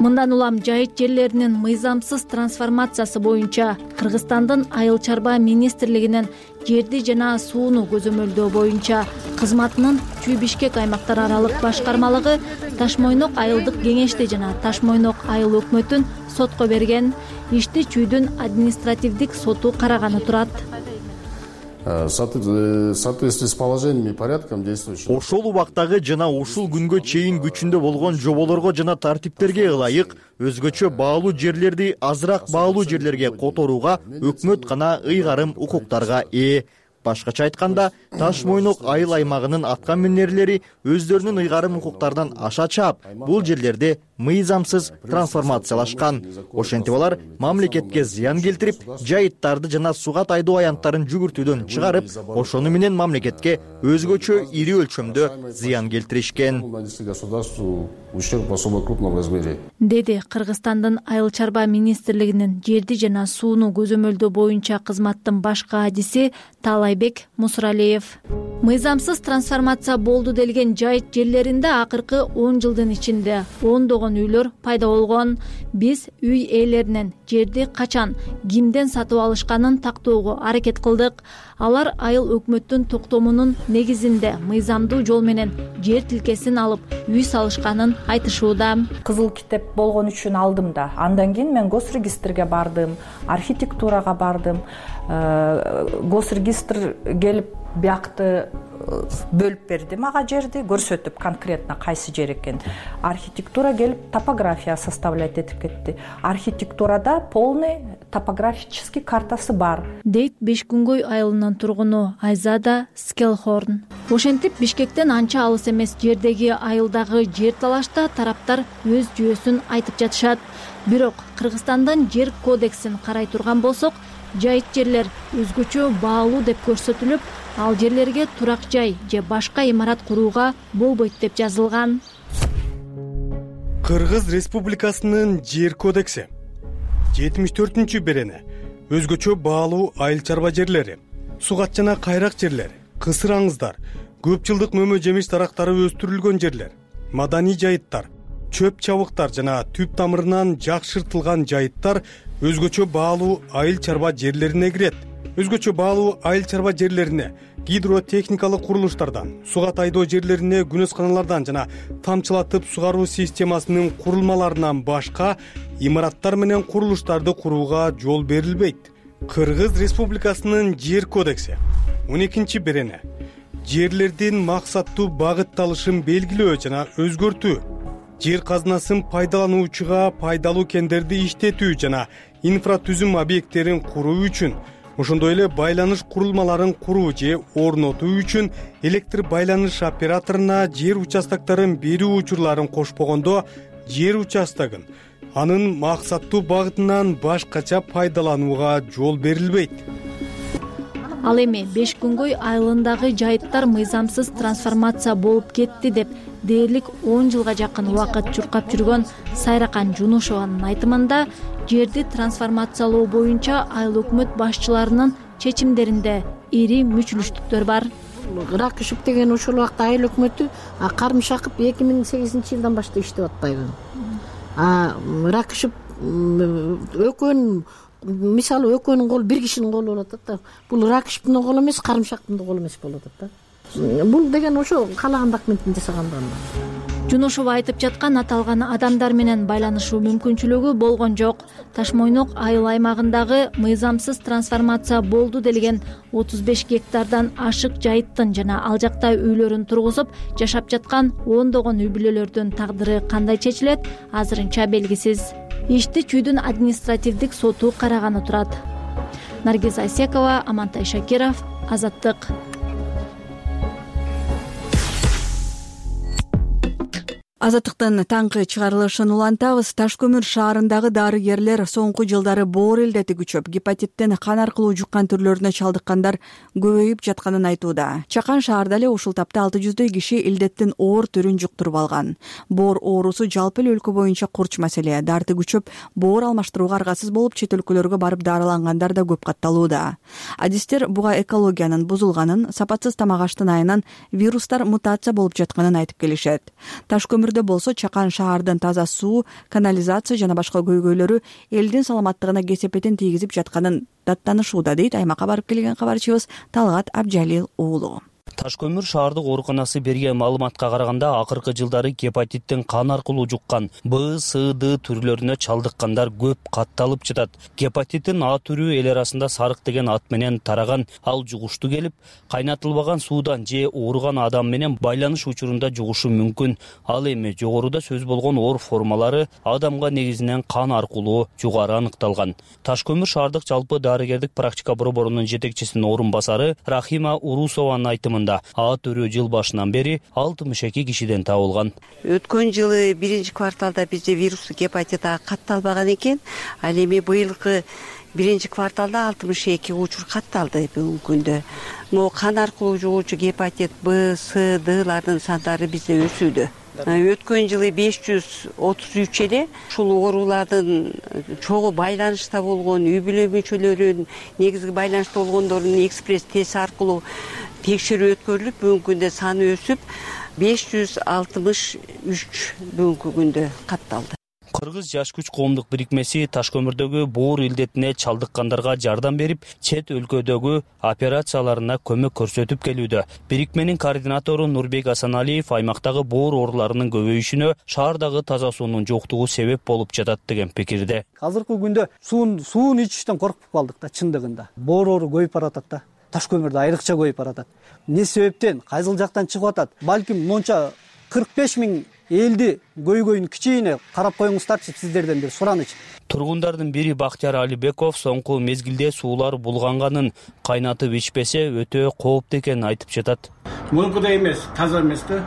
Мындан улам жайыт жерлеринин мыйзамсыз трансформациясы боюнча Кыргызстандын Айыл чарба министрлигинин жерди жана сууну көзөмөлдөө боюнча кызматынын Чүй Бишкек аймактар аралык башкармалыгы Таш Мойнок айылдык кеңешти жана Таш Мойнок айыл өкмөтүн сотко берген. Ишти Чүйдүн административдик соту караганы турат.
В соответствии с положениями и порядком действующего.
Ошол убактагы жана ушул күнгө чейин күчүндө болгон жоболорго жана тартиптерге ылайык өзгөчө баалуу жерлерди азыраак баалуу жерлерге которууга өкмөт гана ыйгарым укуктарга ээ. Башкача айтканда, Таш Мойнок айыл аймагынын аткан минерлери өздөрүнүн ыйгарым укуктарынан аша чаап, бул жерлерди мыйзамсыз трансформациялашкан. Ошентип алар мамлекетке зыян келтирип, жайыттарды жана суга тайдоо аянттарын жүгүртүүдөн чыгарып, ошону менен мамлекетке өзгөчө ири өлчөмдө зыян келтиришкен.
Деди Кыргызстандын Айыл чарба министрлигинин жерди жана сууну көзөмөлдөө боюнча кызматтын баш каадиси Таалайбек Мусуралиев. Мыйзамсыз трансформация болду делген жайыт жерлеринде акыркы 10 жылдын ичинде ондогон үйлөр пайда болгон. Биз үй ээлеринен жерди качан, кимден сатып алышканын тактоого аракет кылдык. Алар айыл өкмөттүн токтомунун негизинде мыйзамдуу жол менен жер тилкесин алып үй салышканын айтышууда.
Кызыл китеп болгон үчүн алдым да. Андан кийин мен госрегистрге бардым, архитектурага бардым. Госрегистр келип биякты бөлүп берди мага жерди, көрсөтүп конкретно кайсы жер экен. Архитектура келип топография составлять этип кетти. Архитектурада полный топографический картасы бар.
Дейт Бешкүнгөй айылынын тургуну Айзада Скелхорн. Ошентип Бишкектен анча алыс эмес жердеги айылдагы жер талашта тараптар өз жүйөсүн айтып жатышат. Бирок Кыргызстандын жер кодексин карай турган болсок, жайыт жерлер өзгөчө баалуу деп көрсөтүлүп, ал жерлерге турак жай же башка имарат курууга болбойт деп жазылган.
Кыргыз Республикасынын жер кодекси 74-берене өзгөчө баалуу айыл чарба жерлери, сугат жана кайрак жерлер, кысыр аңыздар, көп жылдык мөмө жемиш дарактары өстүрүлгөн жерлер, маданий жайыттар, чөп чабыктар жана түп тамырынан жакшыртылган жайыттар өзгөчө баалуу айыл чарба жерлерине кирет. Өзгөчө баалуу айыл чарба жерлерине гидротехникалык курулуштардан, суга тайдоо жерлерине күнөсканалардан жана тамчылатып сугаруу системасынын курулмаларынан башка имараттар менен курулуштарды курууга жол берилбейт. Кыргыз Республикасынын жер кодекси 12-берене жерлердин максаттуу багытталышын белгилөө жана өзгөртүү, жер казынасын пайдалануучуга пайдалуу кендерди иштетүү жана инфратүзүм объекттерин куруу үчүн, ошондой эле байланыш курулмаларын куруу же орнотуу үчүн электр байланыш операторуна жер участокторун берүү учурларын кошпогондо жер участогун анын максаттуу багытынан башкача пайдаланууга жол берилбейт.
Ал эми Бешкүнгөй айылындагы жайыттар мыйзамсыз трансформация болуп кетти деп дээрлик 10 жылга жакын убакыт чуркап жүргөн Сайракан Жунушованын айтымында, жерди трансформациялоо боюнча айыл өкмөт башчыларынын чечимдеринде ири мүчүлүштүктөр бар.
Ракышев деген ушул убакта айыл өкмөтү кармышакып 2008-жылдан баштап иштеп атпайбы. Ракышев экөөнүн мисалы экөөнүн колу бир кишинин колу болуп атат да. Бул Ракышевдин колу эмес, Карымшактын да колу эмес болуп атат да. Бул деген ошо каалаган документин жасаган.
Жунушова айтып жаткан аталган адамдар менен байланышуу мүмкүнчүлүгү болгон жок. Ташмойнок айыл аймагындагы мыйзамсыз трансформация болду делген 35 гектардан ашык жайыттын жана ал жакта үйлөрүн тургузуп жашап жаткан ондогон үй бүлөлөрдүн тагдыры кандай чечилет, азырынча белгисиз. Ишти Чүйдүн административдик соту караганы турат. Наргиз Айсекова, Амантай Шакиров, Азаттык.
Азаттыктын таңкы чыгарылышын улантабыз. Таш көмүр шаарындагы дарыгерлер соңку жылдары боор илдети күчөп, гепатиттен кан аркылуу жуккан түрлөрүнө чалдыккандар көбөйүп жатканын айтууда. Чакан шаарда эле ушул тапта 600 киши илдеттин оор түрүн жуктуруп алган. Боор оорусу жалпы эле өлкө боюнча курч маселе. Дарты күчөп, боор алмаштырууга аргасыз болуп, чет өлкөлөргө барып дарылангандар да көп катталууда. Адистер буга экологиянын бузулганын, сапатсыз тамак аштын айынан вирустар мутация болуп жатканын айтып келишет. Таш көмүр болсо Чакан шаардын таза суу, канализация жана башка көйгөйлөрү элдин саламаттыгына кесепетин тийгизип жатканын даттанышууда, дейт аймакка барып келген кабарчыбыз Талгат Абжалил уулу.
Таш көмүр шаардык ооруканасы берген маалыматка караганда, акыркы жылдары гепатиттен кан аркылуу жуккан Б, С, Д түрлөрүнө чалдыккандар көп катталып жатат. Гепатиттин А түрү эл арасында сарык деген ат менен тараган. Ал жугуштуу келип, кайнатылбаган суудан же ооруган адам менен байланыш учурунда жугушу мүмкүн. Ал эми жогоруда сөз болгон оор формалары адамга негизинен кан аркылуу жугары аныкталган. Таш көмүр шаардык жалпы дарыгердик практика борборунун жетекчисинин орун басары Рахима Урусованын айтымында, аймагында. А түрү жыл башынан бери 62 кишиден табылган.
Өткөн жылы биринчи кварталда бизде вирустук гепатит А катталбаган экен. Ал эми быйылкы биринчи кварталда 62 учур катталды бүгүнкү күндө. Могу кан аркылуу жугуучу гепатит Б, С, Д'лардын сандары бизде өсүүдө. Өткөн жылы 533 эле. Ушул оорулардын чогуу байланышта болгон үй бүлө мүчөлөрүнүн негизги байланышта болгондордун экспресс тест аркылуу текшерүү өткөрүлүп, бүгүнкү күндө саны өсүп 563 бүгүнкү күндө катталды.
Кыргыз жаш күч коомдук бирикмеси Ташкөмүрдөгү боор илдетине чалдыккандарга жардам берип, чет өлкөдөгү операцияларына көмөк көрсөтүп келүүдө. Бирикменин координатору Нурбек Асаналиев аймактагы боор ооруларынын көбөйүшүнө шаардагы таза суунун жоктугу себеп болуп жатат деген пикирде.
Азыркы күндө суун ичиштен коркуп калдык да, чындыгында. Боор оору көбөйүп баратат да. Ташкөмүрдө айрыкча көбөйүп баратат. Эмне себептен, кайсыл жактан чыгып атат? Балким монча 45 000 элди көйгөйүн кичине карап коюңуздарчы, сиздерден бир суранычы.
Тургундардын бири Бактияр Алибеков соңку мезгилде суулар булганганын, кайнатып ичпесе өтө кооптуу экенин айтып жатат.
Мурункудай эмес, таза эмес да.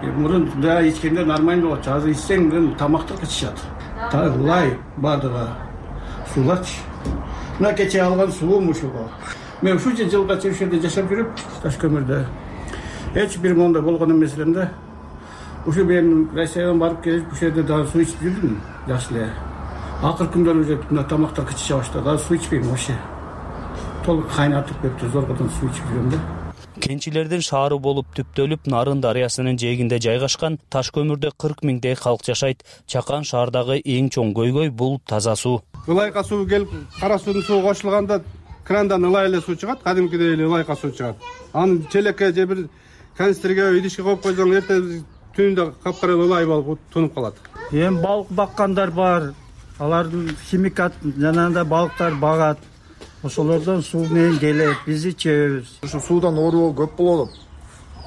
Мурун да ичкенде нормально болчу. Азыр ичсең тамактык ичишат. Лай бардыгы сууларчы. Мына кече алган суум ушул. Мен ушунча жылга ушул жерде жашап жүрүп, Ташкөмүрдө эч бир мондай болгон эмес элем да. Ушу мен Россиядан барып келип, ушул жерде дагы суу ичип жүрдүм, жакшы эле. Акыркы күндөрү уже мына тамактар кычыша баштады. Азыр суу ичпейм вообще. Толук кайнатып кетти, зоргодон суу ичип жүрөм да.
Кенчилердин шаары болуп түптөлүп, Нарын дарыясынын жээгинде жайгашкан Ташкөмүрдө 40 000 калк жашайт. Чакан шаардагы эң чоң көйгөй бул таза суу.
Ылайка суу келип, кара суунун суу кошулганда крандан ылай эле суу чыгат, кадимкидей эле ылайка суу чыгат. Аны челекке же бир канистрге, идишке коюп койсоң, эртең түнүндө капкара ылай болуп тунуп калат.
Эми балык баккандар бар. Алардын химикат жанагындай балыктар багат. Ошолордон суу менен келет, биз ичебиз.
Ушу суудан оору көп болот.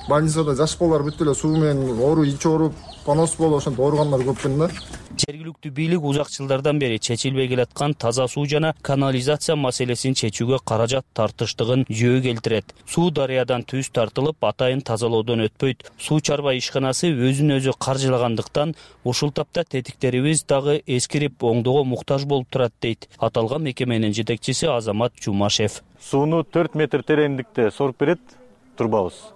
Больницада жаш балдар бүт эле суу менен оору ич ооруп, понос болуп, ошентип ооругандар көп экен да.
Жергиликтүү бийлик узак жылдардан бери чечилбей келаткан таза суу жана канализация маселесин чечүүгө каражат тартыштыгын жөө келтирет. Суу дарыядан түз тартылып, атайын тазалоодон өтпөйт. Суу чарба ишканасы өзүн өзү каржылагандыктан ушул тапта тетиктерибиз дагы эскирип, оңдоого муктаж болуп турат дейт аталган мекеменин жетекчиси Азамат Жумашев.
Сууну 4 метр тереңдикте соруп берет турбабыз.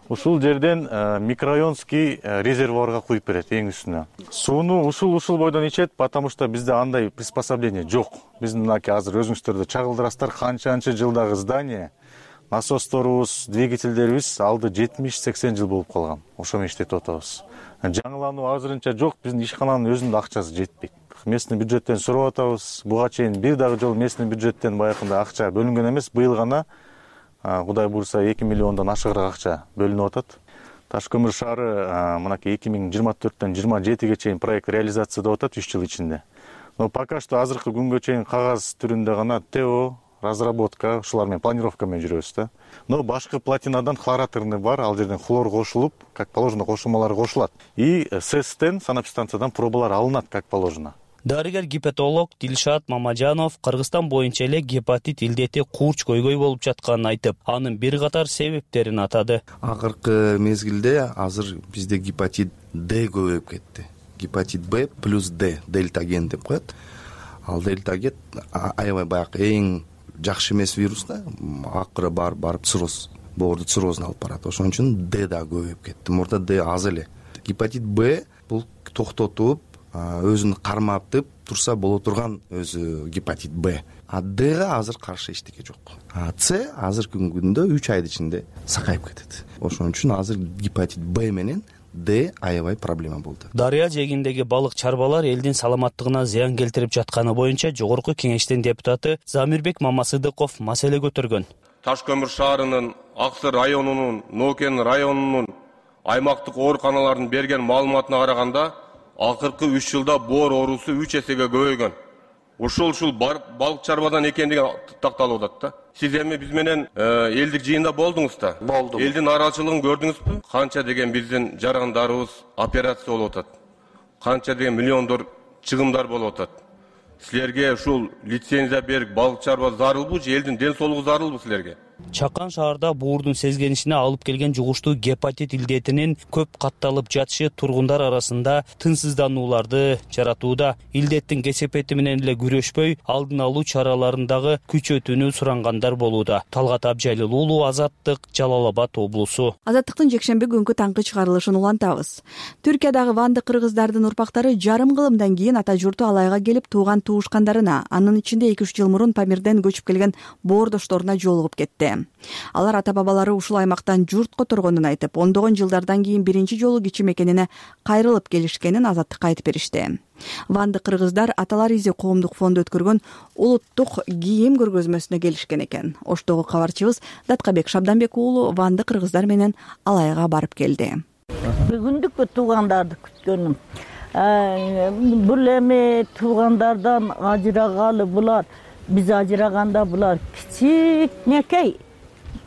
Ушул жерден микрорайонский резервуарга куюп берет эң үстүнө. Сууну ушул бойдон ичет, потому что бизде андай приспособление жок. Биздин мынакей азыр өзүңүздөрдө чагылдырасыздар, канча жылдагы здание, насосторубуз, двигательдерибиз алды 70-80 жыл болуп калган. Ошо менен иштетип атабыз. Жаңылануу азырынча жок, биздин ишкананын өзүнүн да акчасы жетпейт. Местный бюджеттен сурап атабыз. Буга чейин бир дагы жолу местный бюджеттен баягындай акча бөлүнгөн эмес, быйыл гана Кудай буйрса 2 миллиондон ашыгыраак акча бөлүнүп атат. Ташкөмүр шаары мынакей 2024-төн 27-ге чейин проект реализацияда атат 3 жыл ичинде. Но пока что азыркы күнгө чейин кагаз түрүндө гана ТО, разработка, ушулар менен планировка менен жүрөбүз да. Но башкы платинадан хлораторный бар, ал жерден хлор кошулуп, как положено кошулмалар кошулат. И СЭСтен, санэпстанциядан пробалар алынат как положено.
Дарыгер-гепатолог Дилшат Мамажанов Кыргызстан боюнча эле гепатит илдети курч көйгөй болуп жатканын айтып, анын бир катар себептерин атады.
Акыркы мезгилде азыр бизде гепатит Д көбөйүп кетти. Гепатит Б плюс Д, дельтаген деп коет. Ал дельтаген аябай баягы эң жакшы эмес вирус да, акыры барып цирроз, боорду циррозуна алып барат. Ошон үчүн Д да көбөйүп кетти. Мурда Д аз эле. Гепатит Б бул токтотуп өзүн карматып турса боло турган өзү гепатит Б. А Дга азыр каршы эчтеке жок. А С азыркы күндө 3 айдын ичинде сакайып кетет. Ошон үчүн азыр гепатит Б менен Д аябай проблема болду.
Дарыя жээгиндеги балык чарбалар элдин саламаттыгына зыян келтирип жатканы боюнча Жогорку Кеңештин депутаты Замирбек Мамасыдыков маселе көтөргөн.
Ташкөмүр шаарынын, Аксыр районунун, Нокен районунун аймактык ооруканаларынын берген маалыматына караганда акыркы 3 жылда боор оорусу 3 эсеге көбөйгөн. Ушул балык чарбадан экендиги такталып атат да. Сиз эми биз менен элдик жыйында болдуңуз да?
Болдум.
Элдин нараачылыгын көрдүңүзбү? Канча деген биздин жарандарыбыз операция болуп атат. Канча деген миллиондор чыгымдар болуп атат. Силерге ушул лицензия берип балык чарба зарылбы же элдин ден соолугу зарылбы силерге?
Чакан шаарда боордун сезгенишине алып келген жугуштуу гепатит илдетинин көп катталып жатышы тургундар арасында тынчсызданууларды жаратууда. Илдеттин кесепети менен эле күрөшпөй, алдын алуу чараларындагы күчөтүүнү сурангандар болууда. Талгат Абжайлыл уулу, Азаттык, Жалал Абад облусу.
Азаттыктын жекшемби күнгү таңкы чыгарылышын улантабыз. Түркиядагы ванды кыргыздардын урпактары жарым кылымдан кийин ата журту Алайга келип тууган туушкандарына, анын ичинде 2-3 жыл мурун Памирден көчүп келген боордошторуна жолугуп кетти. Алар ата-бабалары ушул аймактан журт которгонун айтып, ондогон жылдардан кийин биринчи жолу кичи мекенине кайрылып келишкенин Азаттыкка айтып беришти. Ванды кыргыздар Аталар изи коомдук фонду өткөргөн улуттук кийим көргөзмөсүнө келишкен экен. Оштогу кабарчыбыз Даткабек Шабданбек уулу ванды кыргыздар менен Алайга барып келди.
Бүгүндүк туугандарды күткөнүм. Бул эми туугандардан ажырагалы булар, биз ажыраганда булар кичикнекей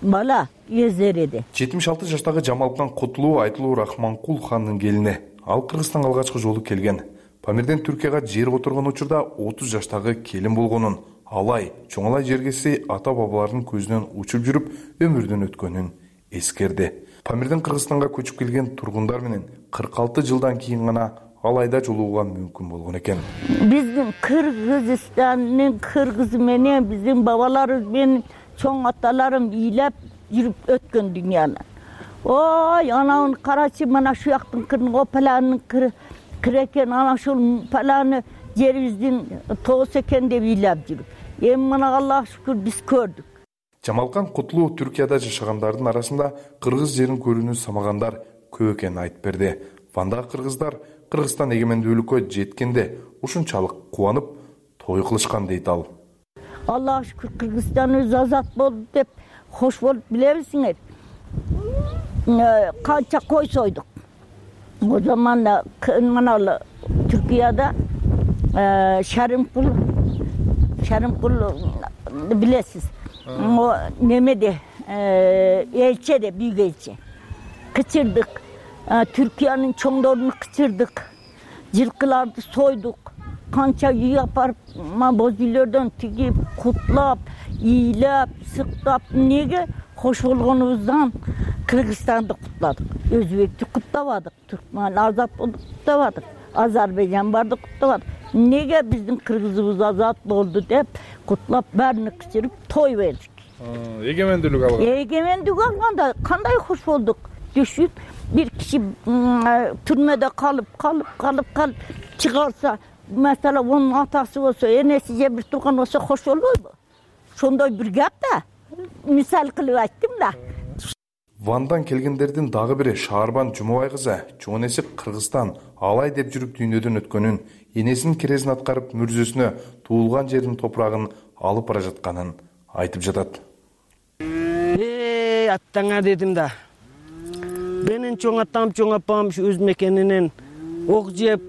бала эзереди.
76 жаштагы Жамалкан Кутулуу Айтылуу Рахманкул хандын келини. Ал Кыргызстанга алгачкы жолу келген. Памирден Түркияга жер которгон учурда 30 жаштагы келин болгонун, Алай, Чоңалай жергеси ата-бабалардын көзүнөн учуп жүрүп өмүрдөн өткөнүн эскерди. Памирден Кыргызстанга көчүп келген тургундар менен 46 жылдан кийин гана Алайда жолугууга мүмкүн болгон экен.
Биздин Кыргызстандын кыргызы менен биздин бабаларыбыз менен чоң аталарым ыйлап жүрүп өткөн дүйнөнү. Ой, ананы карачы, мына шу жактын кырын опаланын кыры экен, ана ушул паланы жерибиздин тоос экен деп ыйлап жүрүп. Эми мына Аллага шүкүр биз көрдүк.
Жамалкан Кутулуу Түркияда жашагандардын арасында кыргыз жерин көрүүнү самагандар көп экенин айтып берди. Вандагы кыргыздар Кыргызстан эгемендүүлүккө жеткенде ушунчалык кубанып, той кылышкан дейт ал.
Аллага шүкүр Кыргызстаныбыз азат болду деп хош болуп билебизиңер. Канча кой сойдук. О заманда мына Түркияда Шарымкул билесиз. Немеде элчеде, büyük элче. Кычырдык. Türkiye'nin çoğunlarını kıçırdık. Жылкыларды soyduk. Kança үй апарып, бозүйлөрдөн тигип, кутлап, ыйлап, сыктап, неге хош болгонубуздан Кыргызстанды кутладык. Өзбекти куттабадык, Түркман азат болду куттабадык. Азербайжан барды куттабадык. Неге биздин кыргызыбыз азат болду деп кутлап, бәрүнү кычырып той бердик.
Эгемендүүлүк алган.
Эгемендүүлүк алганда кандай хош болдук. Düşün, bir kişi türmede kalıp çıkarsa, mesela onun atası olsa, enesice bir tuğan olsa hoş olur mu? Şonday bir gap da, misal kılıp ayttım da.
Вандан келгендердин дагы бири Шаарбан Жумабай кызы, чоң энеси Кыргызстан Алай деп жүрүп дүйнөдөн өткөнүн, энесинин керезин аткарып мүрзөсүнө туулган жердин топурагын алып бара жатканын айтып жатат.
Аттаңа дедим да. Benim çoğ atam, çoğ apam şu öz mekeninden ok jep,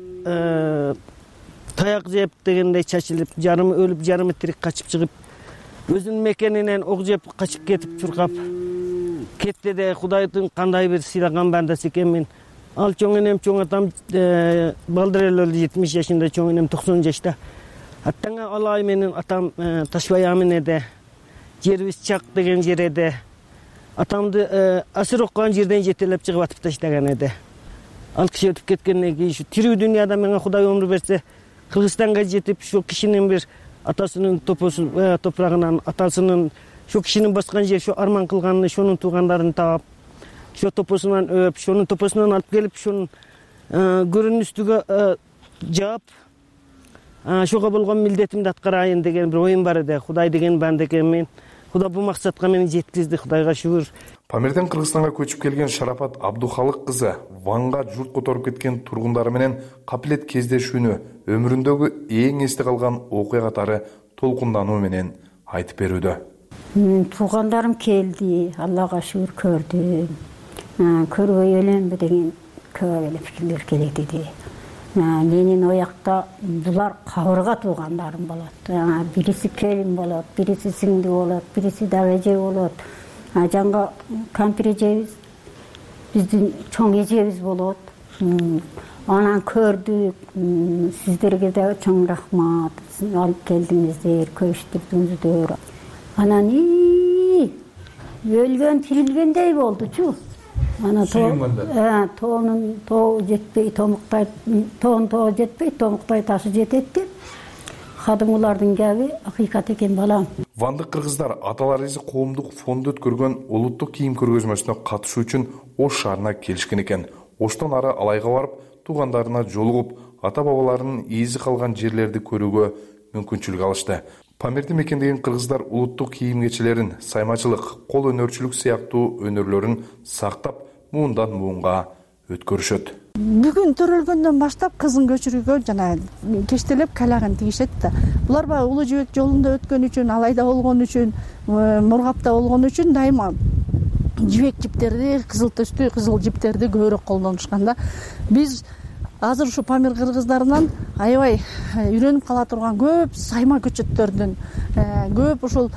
tayak jep degende çaçılıp, jarımı ölüp, jarımı tirik kaçıp çıkıp, özün mekeninden ok jep kaçıp ketip çurkap, ketти de Kuday'ın kanday bir silagan bandası ekenmin. Al çoğ enem, çoğ atam baldır öldü 70 yaşında, çoğ enem 90 yaşta. Attanga alay menin atam Taşbayamın ede, Cerviz Çak degen жерede. Atamdı asır okuyan жерден жетелеп чыгып атып таштаган эди. Ал киши өтүп кеткенден кийин şu тирүү дүйнөдө мага Кудай өмүр берсе, Кыргызстанга жетип, şu кишинин bir атасынын топурагынан, атасынын şu кишинин баскан жер, şu арман кылганын, şонун туугандарын таап, şu топосунан өп, şонун топосунан алып келип, şонун көрүнүн үстүгө жаап, şoga болгон милдетимди аткарайын деген bir оюм бар эди. Кудай деген банда экенмин. Кудай бул максатка мени жеткизди, Кудайга шүгүр.
Памирден Кыргызстанга көчүп келген Шарапат Абдухалык кызы Ванга журт которуп кеткен тургундары менен капилет кездешүүнү өмүрүндөгү эң эсте калган окуя катары толкундануу менен айтып берүүдө.
Туугандарым келди, Аллага шүгүр көрдүм. Көрбөй эленби деген көп эле пикирлер келет эди. Менин оякта булар кабырга туугандарым болот. Бириси келин болот, бириси сиңди болот, бириси дагы эже болот. Жаңга кампир эжебиз, биздин чоң эжебиз болот. Анан көрдүк, сиздерге да чоң рахмат. Алып келдиңиздер, көчтүрдүңүздөр. Анан өлгөн тирилгендей болдучу. Ана тоонун тоо жетпей томуктай, тоон тоо жетпей томуктай ташы жетет деп. Кадымгылардын кеби акыйкат экен балам.
Вандык кыргыздар Аталар изи коомдук фонду өткөргөн улуттук кийим көргөзмөсүнө катышуу үчүн Ош шаарына келишкен экен. Оштон ары Алайга барып, туугандарына жолугуп, ата-бабаларынын изи калган жерлерди көрүүгө мүмкүнчүлүк алышты. Памирди мекендеген кыргыздар улуттук кийим кечелерин, саймачылык, кол өнөрчүлүк сыяктуу өнөрлөрүн сактап, муундан муунга өткөрүшөт.
Бүгүн төрөлгөндөн баштап кызын көчүрүүгө жана кечтелеп калагын тигишет да. Булар баягы Улуу Жибек жолунда өткөн үчүн, Алайда болгон үчүн, Мургапта болгон үчүн дайыма жибек жиптерди, кызыл төстүү кызыл жиптерди көбүрөөк колдонушкан да. Биз азыр ушу Памир кыргыздарынан аябай үйрөнүп кала турган көп сайма көчөттөрдүн, көп ушул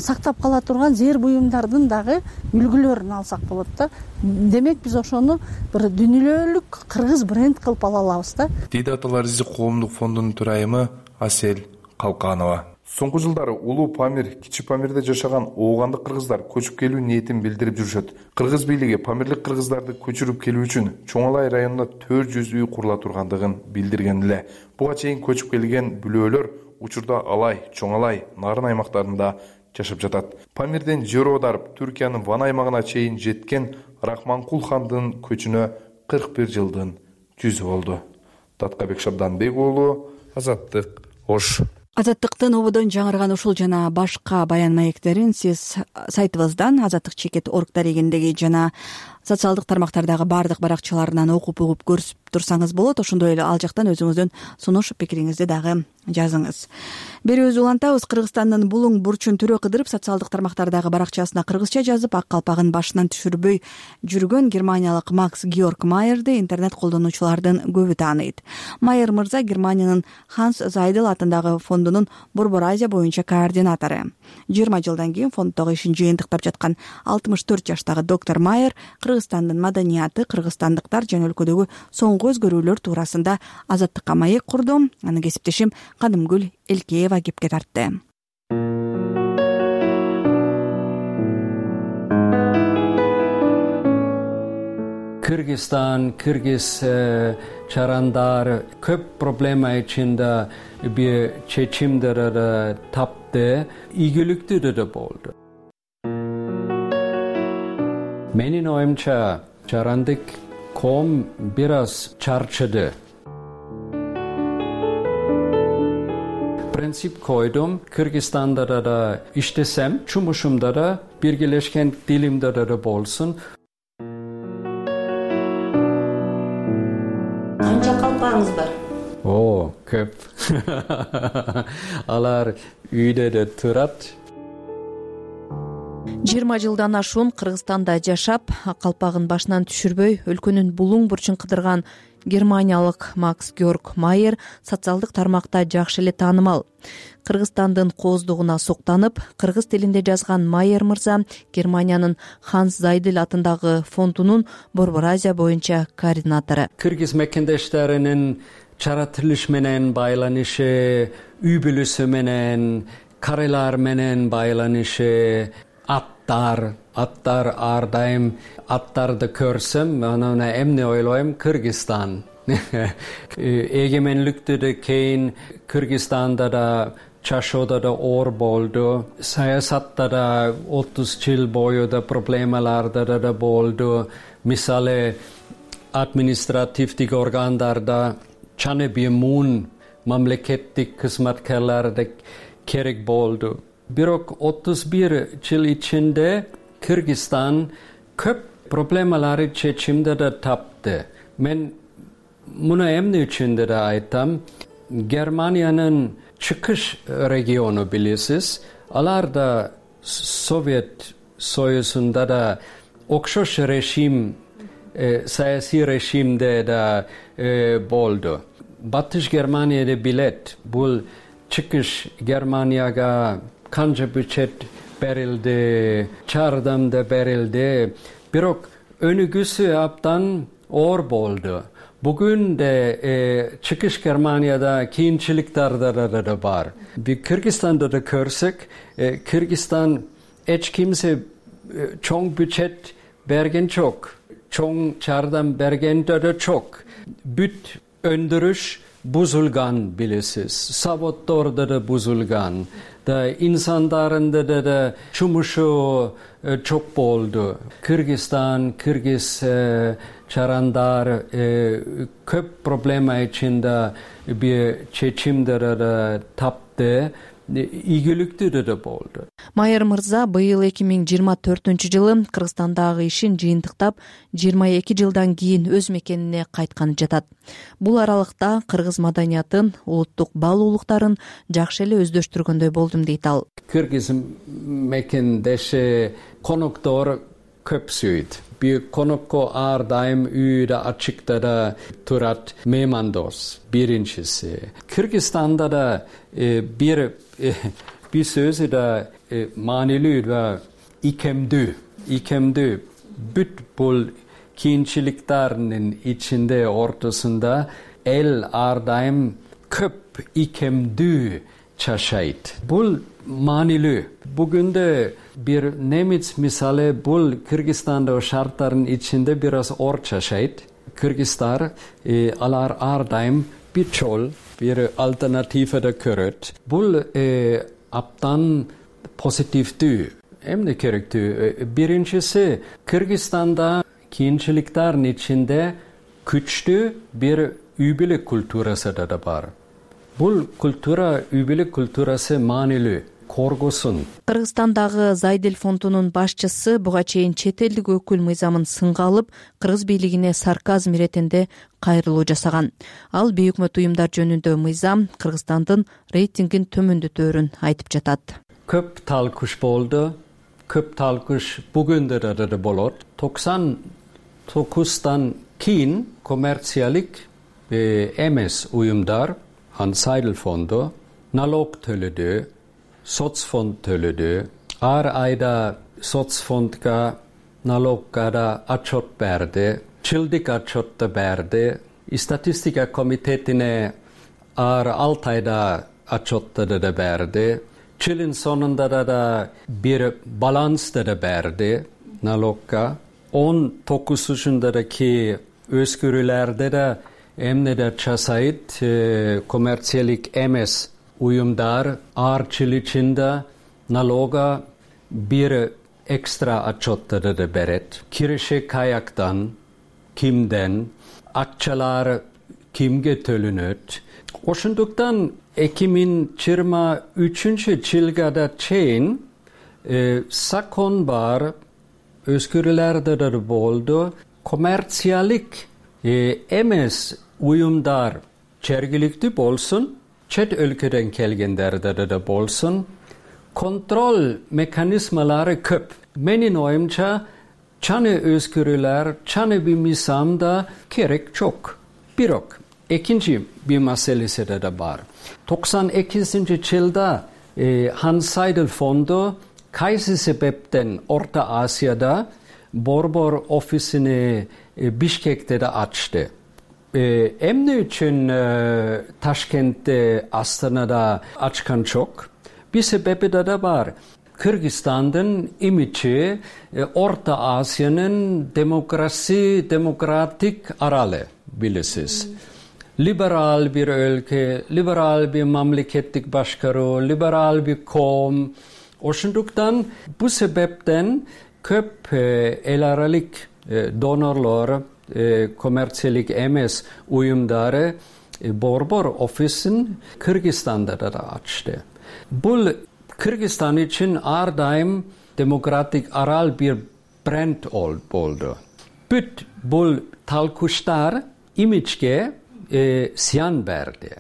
сактап кала турган зээр буюмдардын дагы үлгүлөрүн алсак болот да. Демек биз ошону бир дүйнөлүк кыргыз бренд кылып ала алабыз да.
Дейди Аталар изи коомдук фондунун төрайымы Асель Калканова. Соңку жылдары Улуу Памир, Кичи Памирде жашаган оогандык кыргыздар көчүп келүү ниетин билдирип жүрүшөт. Кыргыз бийлиги памирлик кыргыздарды көчүрүп келүү үчүн Чоңалай районунда 400 үй курула тургандыгын билдирген эле. Буга чейин көчүп келген бүлөлөр учурда Алай, Чоңалай, Нарын аймактарында жашап жатат. Памирден жер аударып, Түркиянын Ван аймагына чейин жеткен Рахманкул хандын көчүнө 41 жылдын жүзү болду. Таткабек Шабданбек уулу, Азаттык, Ош.
Азаттыктын ободон жаңырган ушул жана башка баян маектерин сиз сайтыбыздан azattik.org дарегиндеги жана социалдык тармактардагы баардык баракчаларынан окуп угуп көрүп турсаңыз болот. Ошондой эле ал жактан өзүңүздүн сунуш пикириңизди дагы жазыңыз. Берүүбүз улантабыз. Кыргызстандын булуң бурчун түрө кыдырып социалдык тармактардагы баракчасына кыргызча жазып, ак калпагын башынан түшүрбөй жүргөн германиялык Макс Георг Майерди интернет колдонуучулардын көбү тааныйт. Майер мырза Германиянын Ханс Зайдел атындагы фондунун Борбор Азия боюнча координатору. 20 жылдан кийин фонддогу ишин жыйынтыктап жаткан 64 жаштагы доктор Майер Кыргызстандын маданияты, кыргызстандыктар жана өлкөдөгү соңку өзгөрүүлөр туурасында Азаттыкка маек курду. Аны кесиптешим Кадымгүл Элкеева кепке тартты.
Кыргызстан, кыргыз чарандар көп проблема ичинде бир чечимдерди тапты, ийгиликтүү да болду. Менин оюмча чарандык коом бир аз чарчыды. Принцип койдум, Кыргызстанда да иштесем, жумушумда да биргелешкен тилимде да болсун.
Канча калпагыңыз бар?
Көп. Алар үйдө да турат.
20 жылдан ашуун Кыргызстанда жашап, калпагын башынан түшүрбөй өлкөнүн булуң бурчун кыдырган германиялык Макс Георг Майер социалдык тармакта жакшы эле таанымал. Кыргызстандын кооздугуна суктанып, кыргыз тилинде жазган Майер мырза Германиянын Ханс Зайдел атындагы фондунун Борбор Азия боюнча координатору.
Кыргыз мекендештеринин чаратылыш менен байланышы, үй бүлөсү менен, карайлар менен байланышы, аттар ар дайым аттарды көрсөм, анан эмне ойлойм? Кыргызстан. Эгемендиктен кийин Кыргызстанда да чашоодо да оор болду. Саясатта да 30 жыл бою да проблемаларда да болду. Мисалы административдик органдарда чаны бемун мамлекеттик кызматкерлерде керек болду. Бирок 31 жыл ичинде Кыргызстан көп проблемалары чечимди да тапты. Мен муну эмне үчүн да айтам? Германиянын чыгыш региону билесиз, алар да Совет Союзунда да окшош режим, саясий режимде да болду. Батыш Германияда билет, бул чыгыш Германияга канча бюджет берилди, жардам да берилди. Бирок өнүгүүсү абдан оор болду. Бүгүн де чыгыш Германияда кийинчиликтер да бар. Кыргызстанда да көрсөк, Кыргызстан эч кимсе чоң бюджет берген жок, чоң жардам бергендер да жок. Бүт өндүрүш бузулган, билесиз. Заводдордо да бузулган. Да инсандарында да жумушу жок болду. Кыргызстан, кыргыз жарандар көп проблема ичинде бир чечимдер тапты. Ийгиликтүү да болду.
Майыр мырза быйыл 2024-жылы Кыргызстандагы ишин жыйынтыктап 22 жылдан кийин өз мекенине кайтканы жатат. Бул аралыкта кыргыз маданиятын, улуттук баалуулуктарын жакшы эле өздөштүргөндөй болдум дейт ал.
Кыргыз мекендеши коноктор көп сүйөт. Bir konukko ар дайым үйдө ачыкта да турат меймандос. Биринчиси. Кыргызстанда да bir sözü да маанилүү да икемдүү. Бүт бул кийинчиликтердин ичинде ортосунда эл ар дайым көп икемдүү чашайт. Бул маанилүү. Бүгүндө bir немец мисалы бул Кыргызстандагы шарттардын ичинде бир аз ор чашайт. Кыргыздар алар ар дайым бир жол, бир альтернатива да көрөт. Бул абдан позитивдүү. Эмне керектүү? Биринчиси, Кыргызстанда кийинчиликтердин ичинде күчтүү бир үй бүлөк культурасы да бар. Бул культура, үй бүлөк культурасы маанилүү. Коргосун.
Кыргызстандагы Зайдел фондунун башчысы буга чейин чет элдик өкүл мыйзамын сынга алып, кыргыз бийлигине сарказм иретинде кайрылуу жасаган. Ал бейөкмөт уюмдар жөнүндө мыйзам Кыргызстандын рейтингин төмөндөтөөрүн айтып жатат.
Көп талкуш болду. Көп талкуш бүгүндө да болот. 99-тан кийин коммерциялык эмес уюмдар, Зайдел фонду налог төлөдү. Соцфонд төлөдү. Ар айда соцфондга, налогга да отчет берди. Жылдык отчет да берди. Статистика комитетине ар 6 айда отчет да берди. Жылдын сонунда да бир баланс да берди налогга. 19-ки өзгөрүүлөрдө да эмне да жасайт, коммерциялык эмес уюмдар ар жыл ичинде налога бир экстра отчетты да берет. Киреше каяктан, кимден, акчалар кимге төлөнөт. Ошондуктан 2023-жылга да чейин закон бар, өзгөрүүлөр да болду. Коммерциялык эмес уюмдар жергиликтүү болсун, чет өлкөдөн келгендерде да болсун, контрол механизмалары көп. Менин оюмча, чаны өзгөрүүлөр, чаны бир мыйзамда керек жок. Бирок, экинчи бир маселеси да бар. 92-жылда Зайдел фонду кайсы себептен Орто Азияда борбор офисини Бишкекте да ачты. Эмне үчүн Ташкентте, Астанада ачкан жок? Бир себеби да бар. Кыргызстандын имиджи Орто Азиянын демократик аралы, билесиз. Либерал бир өлкө, либерал бир мамлекеттик башкаруу, либерал бир коом. Ошондуктан бул себептен көп эл аралык донорлор, коммерциялык эмес уюмдары борбор офисин Кыргызстанда да ачты. Бул Кыргызстан үчүн ар дайым демократик арал бир бренд болду. Бүт бул талкуштар имиджге зыян берди.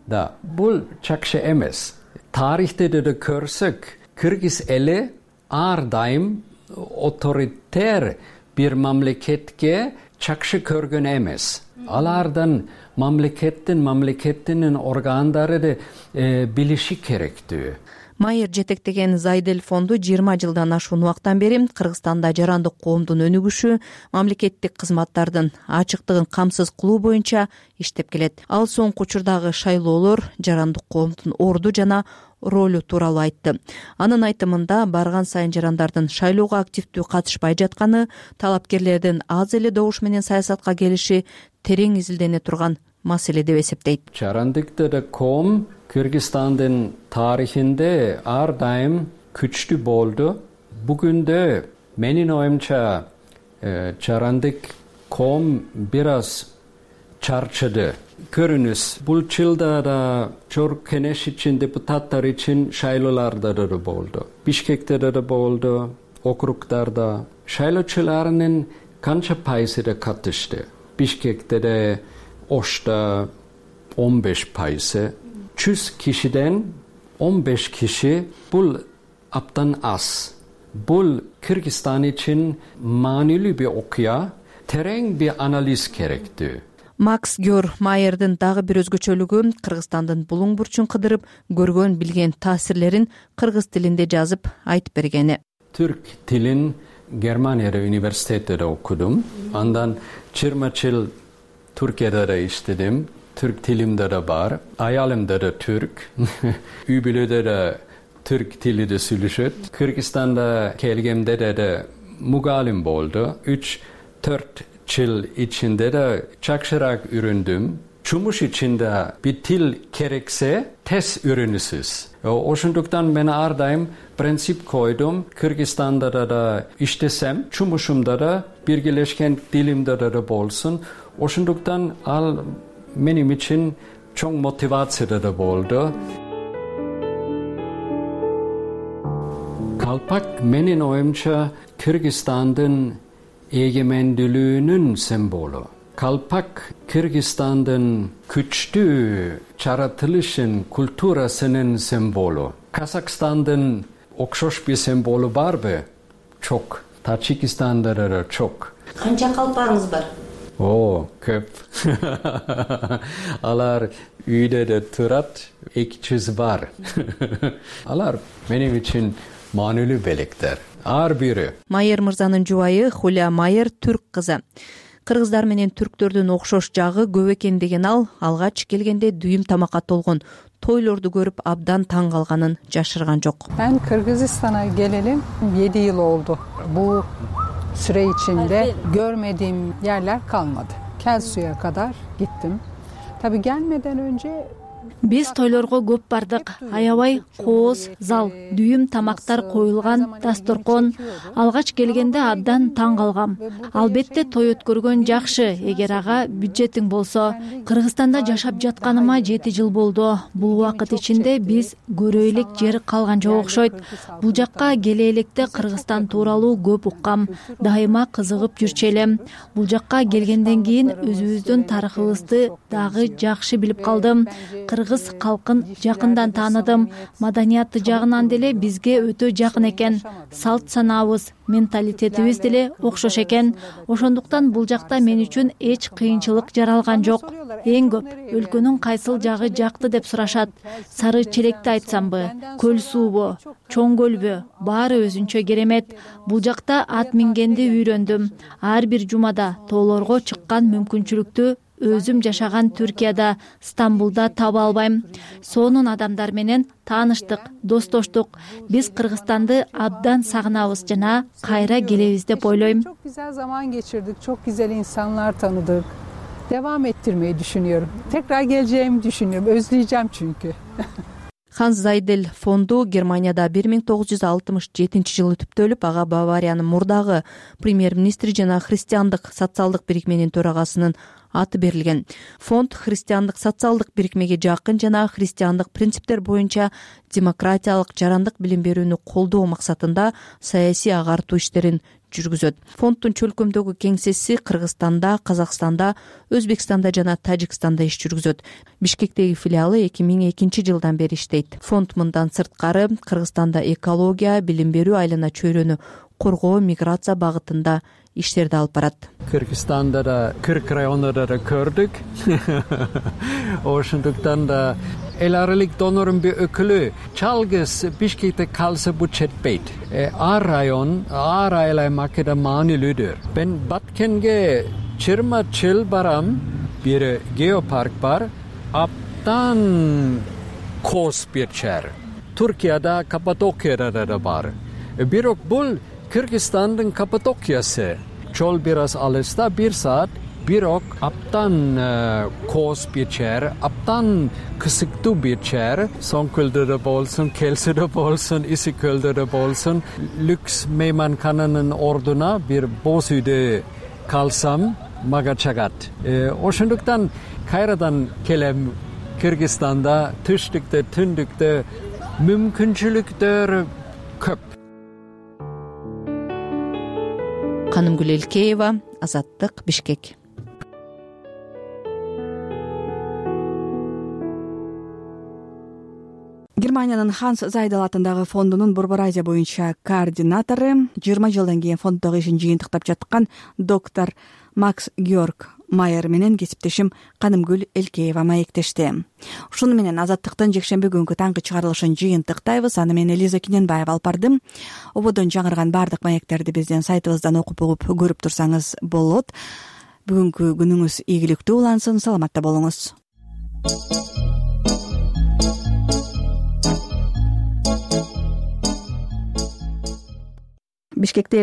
Да, бул жакшы эмес. Тарихте да көрсөк, Кыргыз эли ар дайым авторитер бир мамлекетке жакшы көргөн эмес. Алардан мамлекеттин органдары билиши керектүү.
Майыр жетектеген Зайдел фонду 20 жылдан ашуун убакыттан бери Кыргызстанда жарандык коомдун өнүгүшү, мамлекеттик кызматтардын ачыктыгын камсыз кылуу боюнча иштеп келет. Ал соңку учурдагы шайлоолор жарандык коомдун орду жана ролу тууралуу айтты. Анын айтымында барган сайын жарандардын шайлоого активдүү катышпай жатканы, талапкерлердин аз эле добуш менен саясатка келиши терең изилдене турган маселе деп эсептейт.
Жарандыктар коом Кыргызстандын тарыхинде ар дайым күчтүү болду. Бүгүндө менин оюмча жарандык коом бир аз чарчыды. Көрүнүз, бул жылда да Жогорку Кеңеш үчүн, депутаттар үчүн шайлооларда да болду. Бишкекте да болду, округдарда. Шайлоочулардын канча пайызы да катышты. Бишкекте да, Ошто 15%. 100 кишиден 15 киши бул абдан аз. Бул Кыргызстан үчүн маанилүү бир окуя, терең бир анализ керектүү.
Макс Гёр Майердин дагы бир өзгөчөлүгү Кыргызстандын булуң бурчун кыдырып көргөн билген таасирлерин кыргыз тилинде жазып айтып бергени.
Түрк тилин Германияда университетте окудум. Андан 20 жыл Түркияда да иштедим. Түрк тилимде да бар. Аялымда да түрк. Үй бүлөдө да түрк тилиде сүйлөшөт. Кыргызстанда келгенде да мугалим болду. 3-4 жыл ичинде да жакшыраак үйрөндүм. Жумуш ичинде бир тил керексе, тез үйрөнүсүз. Ошондуктан мен ар дайым принцип койдум. Кыргызстанда да иштесем, жумушумда да биргелешкен тилимде да болсун. Ошондуктан ал менин үчүн чоң мотивация да болду. Калпак менин оюмча Кыргызстандын эгемендүүлүгүнүн символу. Калпак Кыргызстандын күчтүү жаратылышын, культурасынын символу. Казакстандын окшош бир символу барбы? Чок. Таджикистанда да чок.
Канча калпагыңыз бар?
Көп. Алар үйдө да турат, 200 бар. Алар менин үчүн маанилүү белектер. Ар бири.
Майер мырзанын жубайы Хуля Майер түрк кызы. Кыргыздар менен түрктөрдүн окшош жагы көп экен деген ал алгач келгенде дүйүм тамакка толгон тойлорду көрүп абдан таң калганын жашырган жок.
Мен Кыргызстана келeli 7 yıl oldu. Bu süre içinde görmediğim yerler kalmadı. Kelsu'ya kadar gittim. Tabii gelmeden önce
Биз тойлорго көп бардык. Аябай кооз, зал, дүйүм тамактар коюлган, дасторкон. Алгач келгенде абдан таң калгам. Албетте той өткөргөн жакшы, эгер ага бюджетиң болсо. Кыргызстанда жашап жатканыма 7 жыл болду. Бул убакыт ичинде биз көрө элек жер калган жок окшойт. Бул жакка келе электе Кыргызстан тууралуу көп уккам. Дайыма кызыгып жүрчү элем. Бул жакка келгенден кийин өзүбүздүн тарыхыбызды дагы жакшы билип калдым. Кыргыз калкын жакындан тааныдым. Маданияты жагынан деле бизге өтө жакын экен. Салт санаабыз, менталитетибиз деле окшош экен. Ошондуктан бул жакта мен үчүн эч кыйынчылык жаралган жок. Эң көп өлкөнүн кайсыл жагы жакты деп сурашат. Сары челекти айтсамбы, көл суубу, чоң көлбү, баары өзүнчө керемет. Бул жакта ат мингенди үйрөндүм. Ар бир жумада тоолорго чыккан мүмкүнчүлүктү өзүм жашаган Түркияда, Стамбулда таба албайм. Сонун адамдар менен тааныштык, достоштук. Биз Кыргызстанды абдан сагынабыз жана кайра келебиз деп ойлойм.
Çok güzel zaman geçirdik, çok güzel insanlar tanıdık. Devam ettirmeyi düşünüyorum. Tekrar geleceğimi düşünüyorum. Özleyeceğim çünkü.
Ханс Зайдель фонду Германияда 1967-жылы түптөлүп, ага Бавариянын мурдагы премьер-министри жана христиандык социалдык бирикменин төрагасынын аты берилген. Фонд христиандык социалдык бирикмеге жакын жана христиандык принциптер боюнча демократиялык жарандык билим берүүнү колдоо максатында саясий агартуу иштерин жүргүзөт. Фонддун чөлкөмдөгү кеңсеси Кыргызстанда, Казакстанда, Өзбекстанда жана Тажикстанда иш жүргүзөт. Бишкектеги филиалы 2002 жылдан бери иштейт. Фонд мындан сырткары Кыргызстанда экология, билим берүү, айлана чөйрөнү коргоо, миграция багытында иштерди алып барат.
Кыргызстанда да Кырк районунда да көрдүк. Ошондуктан да эл аралык донордун бир өкүлү жалгыз Бишкекте калса бул четпейт. Ар район, ар айыл аймакта маанилүүдүр. Мен Баткенге 20 жыл барам, бир геопарк бар, абдан кооз бир жер. Түркияда Каппадокияда да бар. Бирок бул Кыргызстандын Каппадокиясы. Чол бир аз алыста, 1 саат. Бирок аптан кооз бир жер, аптан кысыктуу бир жер, Соңкөлдө да болсун, Келсиде болсун, Исиккөлдө да болсун, люкс мейманкананын ордуна бир боз үйдө калсам мага чагат. Ошондуктан кайрадан келем. Кыргызстанда түштүктө, түндүктө мүмкүнчүлүктөр көп.
Канымгүл Элкеева, Азаттык, Бишкек.
Германиянын Ханс Зайдел атындагы фондунун Борбор Азия боюнча координатору 20 жылдан кийин фонддогу ишин жыйынтыктап жаткан доктор Макс Георг Майер менен кесиптешим Канымгүл Элкеева маектешти. Ушуну менен Азаттыктын жекшемби күнгү таңкы чыгарылышын жыйынтыктайбыз. Аны мен Элиза Киненбаева алып бардым. Ободон жаңырган бардык маектерди биздин сайтыбыздан окуп угуп көрүп турсаңыз болот. Бүгүнкү күнүңүз ийгиликтүү улансын, саламатта болуңуз. Бишкекте